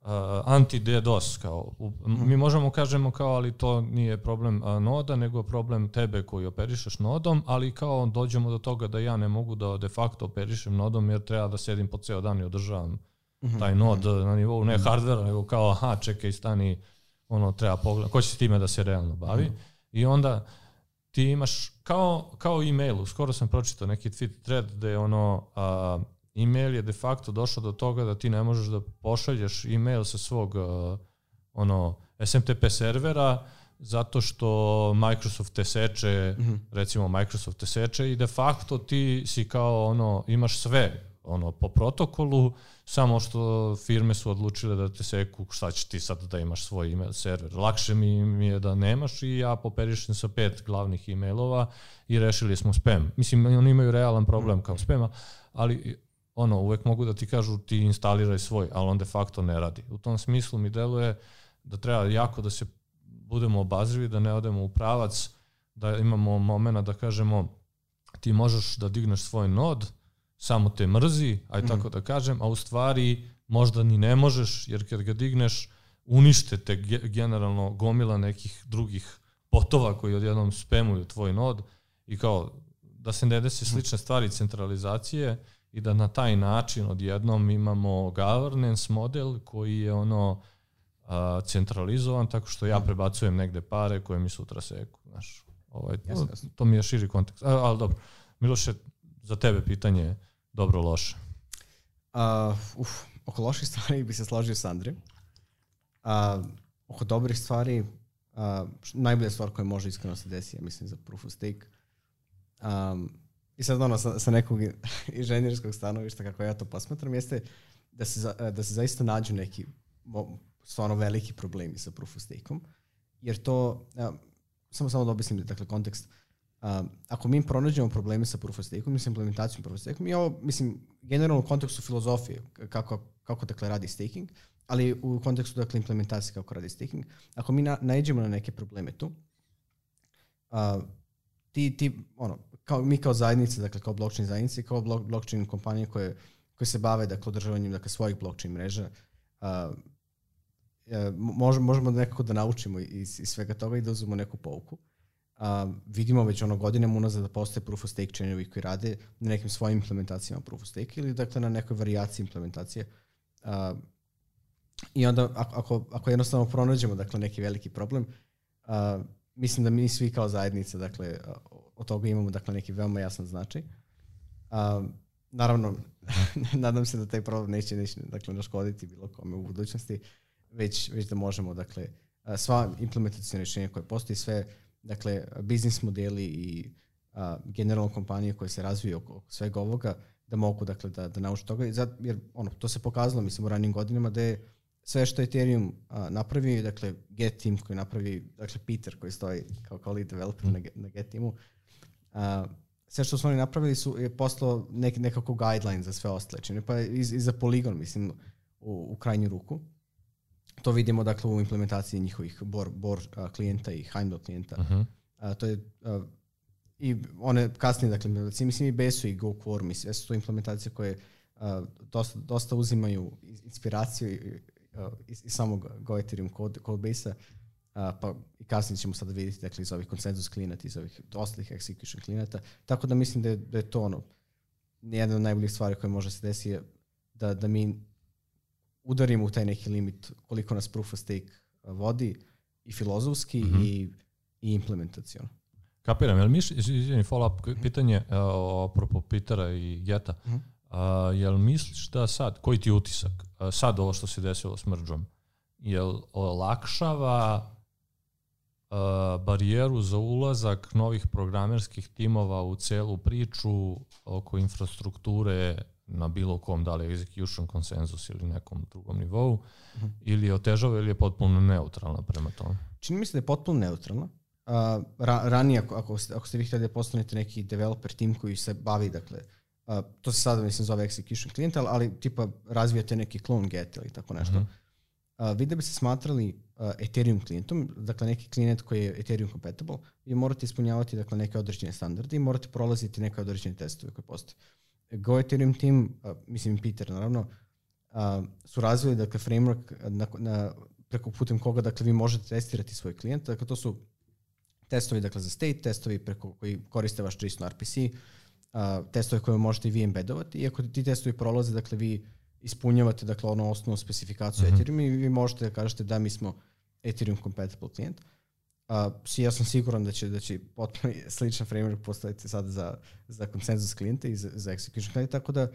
uh, anti-DDoS. Kao, u, mi možemo kažemo kao, ali to nije problem uh, noda, nego problem tebe koji operišeš nodom, ali kao dođemo do toga da ja ne mogu da de facto operišem nodom jer treba da sedim po ceo dan i održavam taj nod na nivou ne hardvera, nego kao aha, čekaj, stani, ono, treba pogledati, ko će s time da se realno bavi. Mm. I onda ti imaš, kao, kao e-mailu, skoro sam pročitao neki tweet thread gde ono, a, e-mail je de facto došao do toga da ti ne možeš da pošalješ e-mail sa svog a, ono, S M T P servera zato što Microsoft te seče, mm-hmm. recimo Microsoft te seče i de facto ti si kao ono, imaš sve ono po protokolu, samo što firme su odlučile da te seku, šta ćeš ti sad da imaš svoj email server. Lakše mi, mi je da nemaš i ja poperišem sa pet glavnih emailova i rešili smo spam. Mislim, oni imaju realan problem kao spama, ali ono, uvek mogu da ti kažu ti instaliraj svoj, ali on de facto ne radi. U tom smislu mi deluje da treba jako da se budemo obazrivi, da ne odemo u pravac, da imamo momena da kažemo ti možeš da digneš svoj nod, samo te mrzi, aj tako mm. da kažem, a u stvari možda ni ne možeš, jer kad ga digneš, unište te generalno gomila nekih drugih botova koji odjednom spamuju tvoj nod i kao da se ne desi slične stvari centralizacije i da na taj način odjednom imamo governance model koji je ono a, centralizovan tako što ja prebacujem negde pare koje mi sutra seku. Znaš, ovaj, jasne, jasne. To, to mi je širi kontekst. A, ali dobro, Miloše, za tebe pitanje dobro, loše. Uh, uf, oko loših stvari bi se složio s Andrijem. Uh, oko dobrih stvari, uh, najbolja stvar koja može iskreno se desi, ja mislim, za proof of stake. Um, I sad ono, sa, sa nekog inženjerskog stanovišta, kako ja to posmatram, jeste da se, za, da se zaista nađu neki stvarno veliki problemi sa proof of stake-om. Jer to, uh, samo samo da objasnim, dakle, kontekst. Uh, ako mi pronađemo probleme sa proof of stake-om, mislim, implementacijom proof of stake-om, i ovo, mislim, generalno u kontekstu filozofije, kako, kako dakle radi staking, ali u kontekstu dakle implementacije kako radi staking, ako mi na, naiđemo na neke probleme tu, uh, ti, ti, ono, kao, mi kao zajednice, dakle kao blockchain zajednice, kao blok, blockchain kompanije koje, koje se bave dakle održavanjem dakle svojih blockchain mreža, uh, možemo, možemo nekako da naučimo iz, iz svega toga i da uzmemo neku pouku. Uh, vidimo već ono godinama unazad da postoje proof of stake chainovi koji rade na nekim svojim implementacijama proof of stake ili dakle na nekoj varijaciji implementacije. Uh, I onda ako, ako jednostavno pronađemo dakle neki veliki problem, uh, mislim da mi svi kao zajednica dakle od toga imamo dakle neki veoma jasan značaj. Uh, naravno, nadam se da taj problem neće, neće dakle naškoditi bilo kome u budućnosti, već, već da možemo dakle sva implementacijna rješenja koje postoji, sve dakle biznis modeli i uh, generalno kompanije koje se razviju oko, oko svega ovoga, da mogu dakle da, da nauče toga. Jer ono, to se pokazalo mislim u ranijim godinama da je sve što je Ethereum uh, napravio, dakle Get team koji napravi, dakle Peter koji stoji kao, kao lead developer mm. na, na Get teamu, uh, sve što su oni napravili su, je postalo nek, nekako guideline za sve ostale čine, pa i, i za Polygon mislim u, u krajnju ruku. To vidimo dakle u implementaciji njihovih Bor, Bor uh, klijenta i Heimdall klijenta. Uh-huh. Uh, to je uh, i one kasnije dakle implementacije, mislim i Besu i Go Quorum, sve su to implementacije koje uh, dosta, dosta uzimaju inspiraciju i, uh, iz, iz samog Go Ethereum code, codebase-a, uh, pa i kasnije ćemo sada vidjeti dakle iz ovih konsenzus klijenata, iz ovih ostalih execution klijenata, tako da mislim da je, da je to ono jedna od najboljih stvari koje može se desiti je da, da mi udarimo u taj neki limit koliko nas proof of stake vodi i filozofski mm-hmm. i, i implementacijono. Kapiram, jel misliš, izvini, follow-up pitanje o apropo Petera i Geta, mm-hmm. a, jel misliš da sad, koji ti je utisak, a, sad ovo što se desilo s merđom, jel olakšava a, barijeru za ulazak novih programerskih timova u celu priču oko infrastrukture na bilo kom, da li execution konsenzus ili nekom drugom nivou, mm-hmm. ili je otežava ili je potpuno neutralna prema tome? Čini mi se da je potpuno neutralna. Uh, ra, ranije, ako, ako, ste, ako ste vi htjeli da postanete neki developer tim koji se bavi, dakle, uh, to se sada mislim zove execution client, ali tipa razvijate neki clone get ili tako nešto. Mm-hmm. Uh, vi da bi se smatrali uh, Ethereum klijentom, dakle neki klijent koji je Ethereum compatible, vi morate ispunjavati dakle, neke određene standarde i morate prolaziti neke određene testove koje postoje. Go Ethereum team, uh, mislim Peter naravno, uh, su razvili dakle, framework na, na, preko putem koga dakle, vi možete testirati svoj klijent. Dakle, to su testovi dakle, za state, testovi preko koji koriste vaš JSON R P C, uh, testovi koje možete i vi embedovati. I ako ti testovi prolaze, dakle, vi ispunjavate dakle, ono osnovnu specifikaciju mm-hmm. Ethereum i vi možete da kažete da mi smo Ethereum compatible klijent. Uh, ja sam siguran da će, da će potpuno sličan framework postaviti sad za, za konsenzus klijente i za, za execution klijente, tako da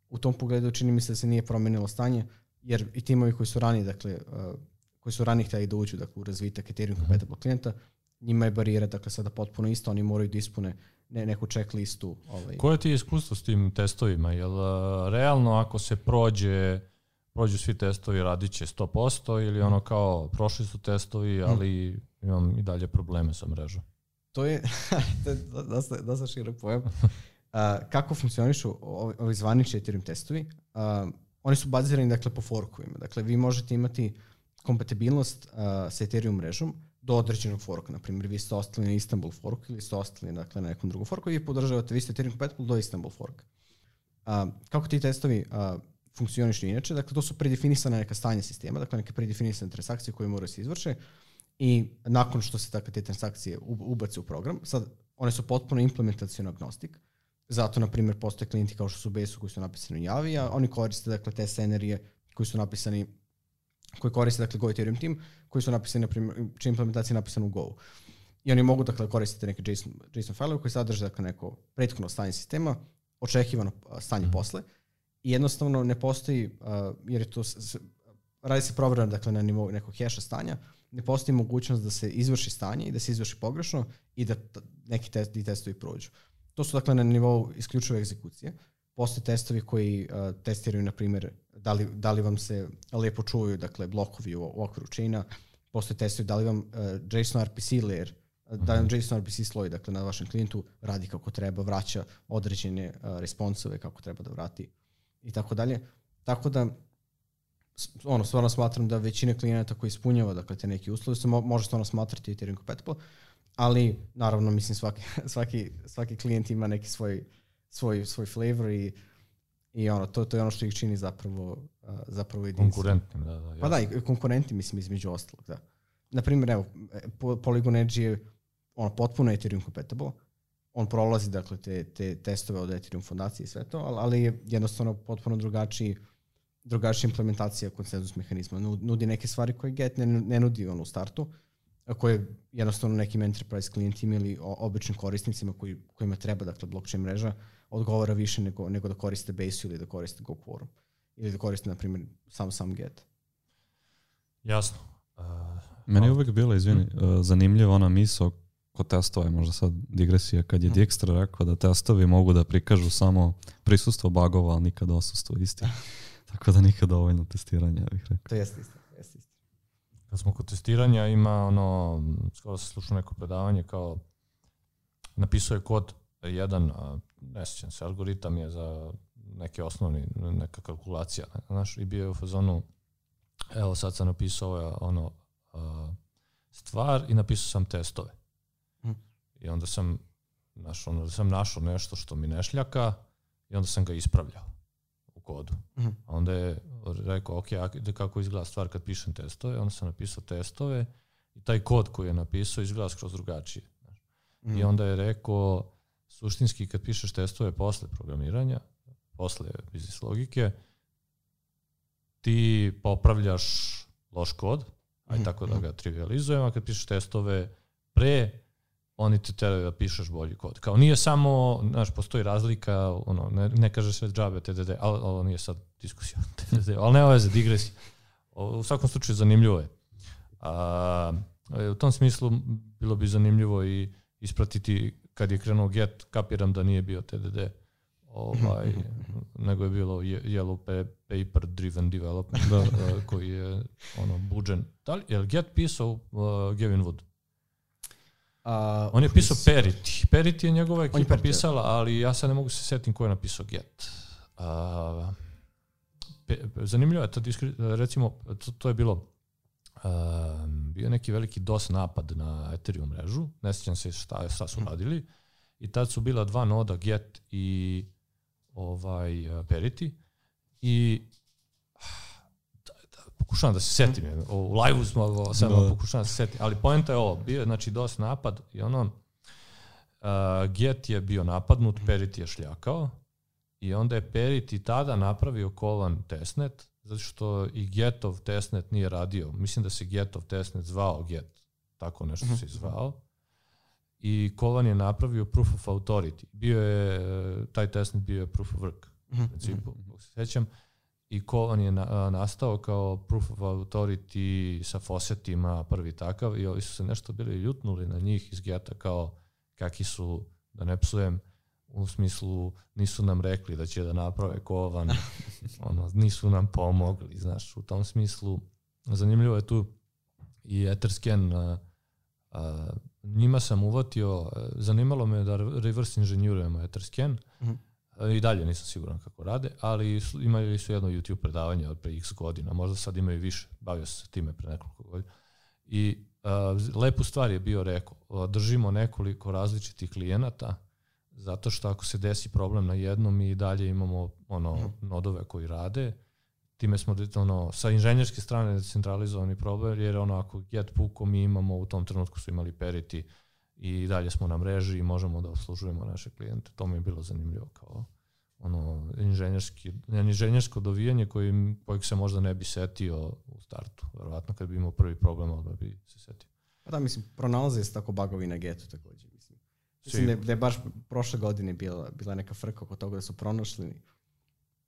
u tom pogledu čini mi se da se nije promenilo stanje, jer i timovi koji su ranije, dakle, uh, koji su ranije htjeli da uđu dakle, u razvitak Ethereum compatible klijenta, njima je barijera dakle, sada potpuno isto, oni moraju da ispune ne, neku checklistu. Ovaj. Koje ti je iskustvo s tim testovima? Jel uh, realno ako se prođe prođu svi testovi radit će sto posto ili ono kao prošli su testovi, ali mm. imam i dalje probleme sa mrežom? To je, to je dosta, dosta širok pojam. Uh, kako funkcionišu ovi, ovi zvanični Ethereum testovi? Uh, oni su bazirani dakle, po forkovima. Dakle, vi možete imati kompatibilnost uh, sa Ethereum mrežom do određenog forka. Naprimjer, vi ste ostali na Istanbul forku ili ste ostali dakle, na nekom drugom forku i vi podržavate, vi ste Ethereum compatible do Istanbul forka. Uh, kako ti testovi uh, funkcionišu inače? Dakle, to su predefinisane neka stanja sistema, dakle neke predefinisane transakcije koje moraju se izvrše i nakon što se dakle, te transakcije ubace u program, sad one su potpuno implementacijono agnostik. Zato, na primjer, postoje klijenti kao što su B S U koji su napisani u Javi, a oni koriste dakle, te scenerije koji su napisani, koji koriste dakle, Go Ethereum team, koji su napisani, na primjer, čija implementacija je napisana u Go. I oni mogu dakle, koristiti neke JSON, JSON file koji sadrže dakle, neko prethodno stanje sistema, očekivano stanje mm. posle, i jednostavno ne postoji, uh, jer je to, s, radi se provjera dakle, na nivou nekog heša stanja, ne postoji mogućnost da se izvrši stanje i da se izvrši pogrešno i da t- neki test, testovi prođu. To su dakle na nivou isključive egzekucije. Postoje testovi koji uh, testiraju, na primjer, da li, da li vam se lijepo čuju dakle, blokovi u, u okviru chaina. Postoje testovi da li vam uh, JSON R P C layer, uh, da li vam JSON R P C sloj dakle, na vašem klijentu radi kako treba, vraća određene uh, responsove kako treba da vrati i tako dalje. Tako da, ono, stvarno smatram da većina klijenata koji ispunjava dakle, te neki uslovi se mo- može stvarno smatrati Ethereum compatible, ali naravno mislim svaki, svaki, svaki klijent ima neki svoj, svoj, svoj flavor i, i ono, to, to je ono što ih čini zapravo, uh, zapravo jedinstveno. Konkurentnim, da, da. Pa da, i konkurenti mislim između ostalog, da. Naprimjer, evo, Polygon Edge je ono, potpuno Ethereum compatible, on prolazi dakle, te, te testove od Ethereum fondacije i sve to, ali, ali je jednostavno potpuno drugačiji, drugačija implementacija konsenzus mehanizma. Nudi neke stvari koje Get ne, ne nudi on u startu, koje jednostavno nekim enterprise klijentima ili običnim korisnicima koji, kojima treba dakle, blockchain mreža odgovara više nego, nego da koriste Base ili da koriste Go Quorum ili da koriste, na primjer, sam sam Get. Jasno. Uh, Meni je uvijek bila, izvini, uh, zanimljiva ona misao kod testova je možda sad digresija, kad je Dijkstra rekao da testovi mogu da prikažu samo prisustvo bugova, ali nikad odsustvo istih. Tako da nikad dovoljno testiranja, bih rekao. To jeste isto, jeste isto. Kad smo kod testiranja, ima ono, skoro sam slušao neko predavanje, kao napisao je kod jedan, ne sjećam se, algoritam je za neke osnovni, neka kalkulacija, znaš, i bio je u fazonu, evo sad sam napisao ono, stvar i napisao sam testove. Hmm. I onda sam, znaš, onda sam našao nešto što mi ne šljaka i onda sam ga ispravljao u kodu. Hmm. A onda je rekao, ok, kako izgleda stvar kad pišem testove, onda sam napisao testove i taj kod koji je napisao izgleda skroz drugačije. Hmm. I onda je rekao, suštinski kad pišeš testove posle programiranja, posle biznis logike, ti popravljaš loš kod, aj tako da ga trivializujem, a kad pišeš testove pre, oni te teraju da pišeš bolji kod. Kao nije samo, znaš, postoji razlika, ono, ne, ne kaže sve džabe T D D, ali ovo nije sad diskusija T D D, ali nema veze, digresija. U svakom slučaju zanimljivo je. A, u tom smislu bilo bi zanimljivo i ispratiti kad je krenuo Get, kapiram da nije bio T D D, ovaj, nego je bilo Yellow Paper Driven Development, da, koji je ono, buđen. Da li, je li Get pisao uh, Gavin Wood? Uh, on je pisao Perity. Perity je njegova ekipa je pisala, ali ja sad ne mogu se setim ko je napisao Get. Uh, pe, zanimljivo je, to, recimo, to, to je bilo uh, bio neki veliki DOS napad na Ethereum mrežu, ne sjećam se šta, šta su radili, i tad su bila dva noda, Get i ovaj, Perity, i da, da, pokušavam da se setim, u live-u smo samo no. pokušavam da se setim, ali poenta je ovo, bio je znači DOS napad i ono, uh, Get je bio napadnut, Perity je šljakao, i onda je Perity tada napravio kovan testnet, zato što i Getov testnet nije radio. Mislim da se Getov testnet zvao Get, tako nešto se zvao. I Kovan je napravio proof of authority. Bio je, taj testnet bio je proof of work, u principu, se sećam. I Kovan je na, nastao kao proof of authority sa faucetima, prvi takav, i ovi su se nešto bili ljutnuli na njih iz Geta kao kakvi su, da ne psujem, u smislu nisu nam rekli da će da naprave Kovan, ono, nisu nam pomogli, znaš, u tom smislu. Zanimljivo je tu i Etherscan, a, a, njima sam uvatio, zanimalo me da reverse inženjurujemo Etherscan, mm-hmm. i dalje nisam siguran kako rade, ali su, imali su jedno YouTube predavanje od pre x godina, možda sad imaju više, bavio se time pre nekoliko godina. I a, lepu stvar je bio rekao, držimo nekoliko različitih klijenata, zato što ako se desi problem na jednom, mi i dalje imamo ono, mm. nodove koji rade. Time smo ono, sa inženjerske strane decentralizovani problem, jer ono, ako Get puko, mi imamo, u tom trenutku su imali Perity i dalje smo na mreži i možemo da obslužujemo naše klijente. To mi je bilo zanimljivo kao ono, inženjerski, inženjersko dovijanje koji, kojeg se možda ne bi setio u startu. Verovatno kad bi imao prvi problem, odmah bi se setio. Pa da, mislim, pronalaze se tako bugovi na Getu također. Mislim, mislim da, je, da je baš prošle godine bila, bila neka frka oko toga da su pronašli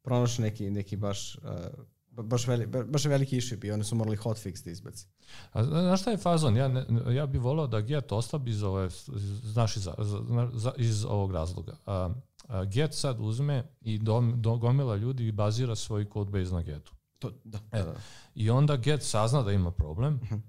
pronašli neki, neki baš, uh, baš, veli, baš veliki issue bio, oni su morali hotfix da izbaci. A znaš šta je fazon? Ja, ne, ja bih volao da Get oslabi iz, ove, znaš, iz, iz, iz ovog razloga. A, a Get sad uzme i dom, do, gomila ljudi i bazira svoj codebase na Getu. To, da, e, da, da. I onda Get sazna da ima problem uh-huh.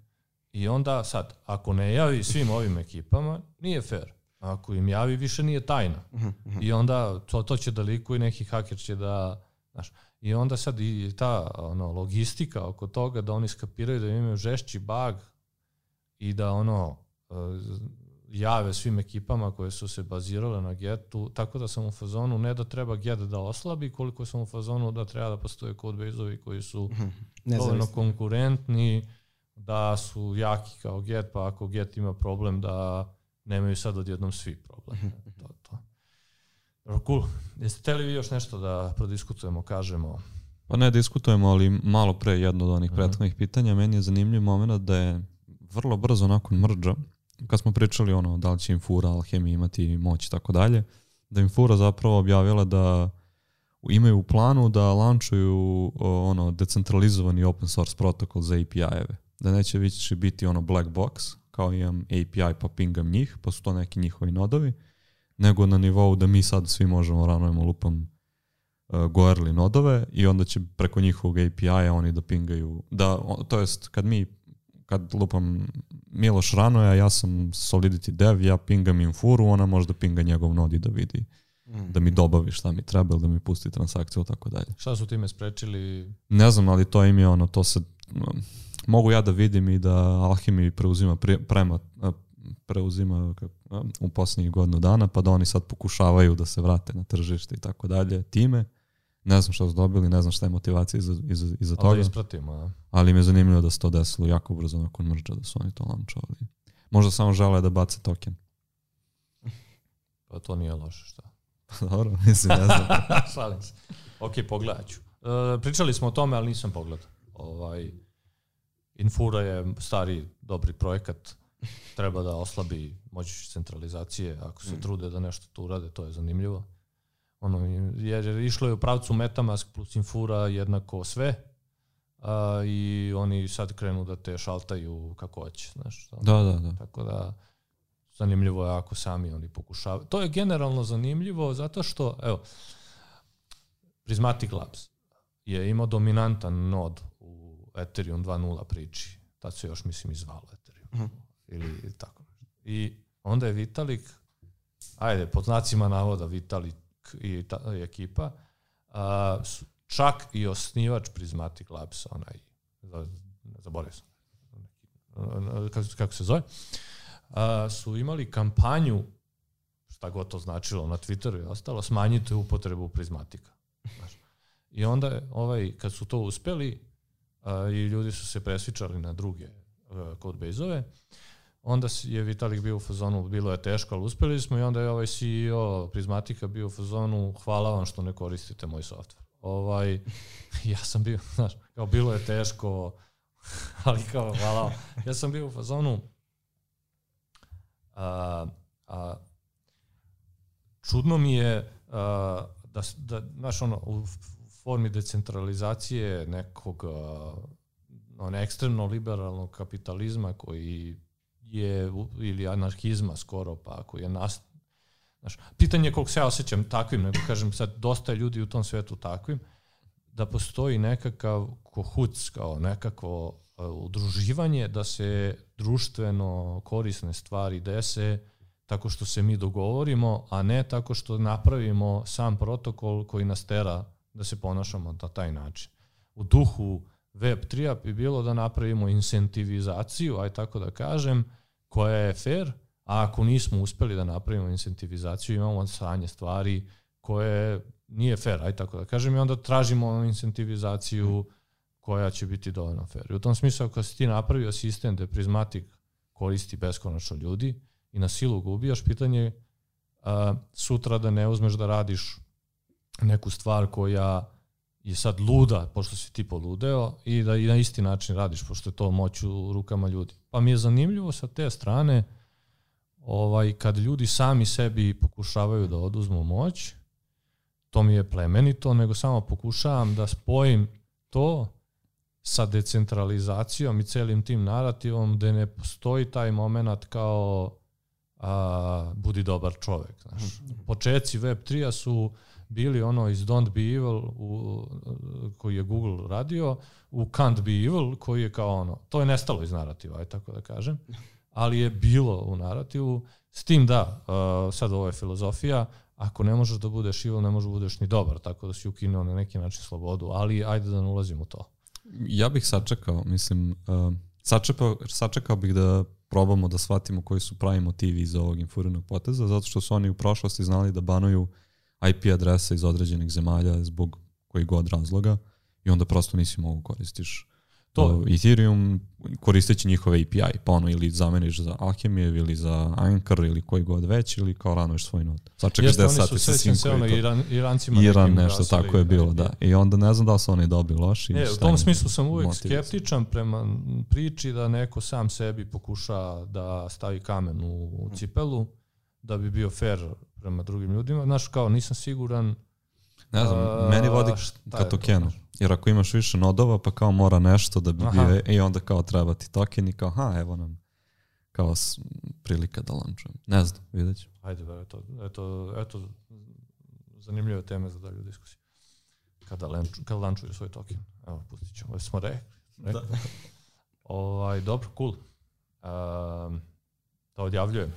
i onda sad, ako ne javi svim ovim ekipama, nije fair. Ako im javi, više nije tajna. Uh-huh, uh-huh. I onda to, to će da likuje, neki haker će da... Znaš, i onda sad i ta ono, logistika oko toga da oni skapiraju da imaju žešći bug i da ono jave svim ekipama koje su se bazirale na Getu, tako da sam u fazonu ne da treba Get da oslabi, koliko sam u fazonu da treba da postoje codebase-ovi koji su uh-huh. dovoljno konkurentni, da su jaki kao Get, pa ako Get ima problem da nemaju sad odjednom svi problem. To, to. Cool. Jeste hteli vi još nešto da prodiskutujemo, kažemo? Pa ne diskutujemo, ali malo pre jedno od onih prethodnih uh-huh. pitanja. Meni je zanimljiv moment da je vrlo brzo nakon mrdža, kad smo pričali ono da li će Infura, Alchemy imati moć i tako dalje, da Infura zapravo objavila da imaju u planu da launchuju ono decentralizovani open source protokol za A P I-eve. Da neće više biti ono black box, kao imam A P I pa pingam njih, pa su to neki njihovi nodovi, nego na nivou da mi sad svi možemo ranujemo lupam uh, Goerli nodove i onda će preko njihovog A P I-a oni da pingaju, da, to jest kad mi, kad lupam Miloš ranuje, a ja sam Solidity dev, ja pingam Infuru, ona možda pinga njegov nod i da vidi, mm. da mi dobavi šta mi treba ili da mi pusti transakciju, tako dalje. Šta su time sprečili? Ne znam, ali to im je ono, to se... Um, mogu ja da vidim i da Alchemy preuzima pre, prema, preuzima u posljednjih godinu dana, pa da oni sad pokušavaju da se vrate na tržište i tako dalje time. Ne znam šta su dobili, ne znam šta je motivacija iza, iza, iza toga. Ali da ispratimo, a? Ali mi je zanimljivo da se to desilo jako brzo nakon mrdža, da su oni to launchovali. Možda samo žele da bace token. Pa to nije loše, šta? Dobro, mislim, ne znam. Šalim se. Ok, pogledat ću. E, pričali smo o tome, ali nisam pogledao. Ovaj, Infura je stari, dobri projekat. Treba da oslabi moć centralizacije. Ako se mm. trude da nešto tu urade, to je zanimljivo. Ono, jer išlo je u pravcu MetaMask plus Infura jednako sve. A, i oni sad krenu da te šaltaju kako hoće. Znaš, da, da, da. Tako da zanimljivo je ako sami oni pokušavaju. To je generalno zanimljivo zato što, evo, Prismatic Labs je imao dominantan nod u Ethereum dva nula priči. Tad se još, mislim, izvalo Ethereum. Uh-huh. Ili tako. I onda je Vitalik, ajde, pod znacima navoda Vitalik i, ta, i ekipa, a, su, čak i osnivač Prismatic Labs, onaj, zaboravio sam, kako, kako se zove, a, su imali kampanju, šta god to značilo na Twitteru i ostalo, smanjite upotrebu Prismatika. Znaš. I onda je, ovaj, kad su to uspeli a, i ljudi su se presvičali na druge codebase-ove, onda je Vitalik bio u fazonu, bilo je teško, ali uspeli smo, i onda je ovaj C E O Prismatika bio u fazonu, hvala vam što ne koristite moj software. Ovaj, ja sam bio, znaš, kao bilo je teško, ali kao hvala vam. Ja sam bio u fazonu, a, a, čudno mi je a, da, da, znaš, ono, u formi decentralizacije nekog on, ekstremno liberalnog kapitalizma koji je, ili anarhizma skoro, pa koji je nas, znaš, pitanje je koliko se ja osjećam takvim, nego kažem sad, dosta ljudi u tom svetu takvim, da postoji nekakav kohuc, kao nekakvo uh, udruživanje, da se društveno korisne stvari dese tako što se mi dogovorimo, a ne tako što napravimo sam protokol koji nas tera da se ponašamo na taj način. U duhu Web tri bi bilo da napravimo incentivizaciju, aj tako da kažem, koja je fair, a ako nismo uspeli da napravimo incentivizaciju, imamo sranje stvari koje nije fair, aj tako da kažem, i onda tražimo incentivizaciju koja će biti dovoljno fair. I u tom smislu, ako si ti napravio sistem da Prismatic koristi beskonačno ljudi i na silu ga ubijaš, pitanje a, sutra da ne uzmeš da radiš neku stvar koja je sad luda, pošto si ti poludeo, i da i na isti način radiš, pošto je to moć u rukama ljudi. Pa mi je zanimljivo sa te strane, ovaj, kad ljudi sami sebi pokušavaju da oduzmu moć, to mi je plemenito, nego samo pokušavam da spojim to sa decentralizacijom i celim tim narativom, gde ne postoji taj moment kao a, budi dobar čovek. Znaš. Počeci Web tri su bili ono iz Don't Be Evil u, koji je Google radio, u Can't Be Evil koji je kao ono, to je nestalo iz narativa, aj tako da kažem, ali je bilo u narativu, s tim da, uh, sad ovo je filozofija, ako ne možeš da budeš evil, ne možeš da budeš ni dobar, tako da si ukinuo na neki način slobodu, ali ajde da ne ulazim u to. Ja bih sačekao, mislim, uh, sačekao, sačekao bih da probamo da shvatimo koji su pravi motivi iza ovog infurinog poteza, zato što su oni u prošlosti znali da banuju I P adrese iz određenih zemalja zbog kojih god razloga i onda prosto nisi mogu koristiš to. Uh, Ethereum koristeći njihove A P I, pa ono ili zameniš za Alchemije ili za Anchor ili koji god već ili kao ranuješ svoj nod. Sačekaš deset sati sa svim koji to. Iran, Irancima Iran nešto tako je bilo, da. I onda ne znam da li su oni dobri, loši. E, u tom smislu sam uvijek skeptičan prema priči da neko sam sebi pokuša da stavi kamen u cipelu, da bi bio fair prema drugim ljudima. Znaš, kao nisam siguran. Ne znam, uh, meni vodi ka tokenu. Jer ako imaš više nodova, pa kao mora nešto da bi aha. bio, i onda kao treba ti token i kao, ha, evo nam kao prilika da lančujem. Ne znam, vidjet ću. Ajde, ba, eto, eto, eto, zanimljive teme za dalju diskusiju. Kada, lanču, kada lančuju svoj token. Evo, pustit ćemo. Smo rekli. rekli. Da. Ovaj, dobro, cool. Um, da odjavljujem.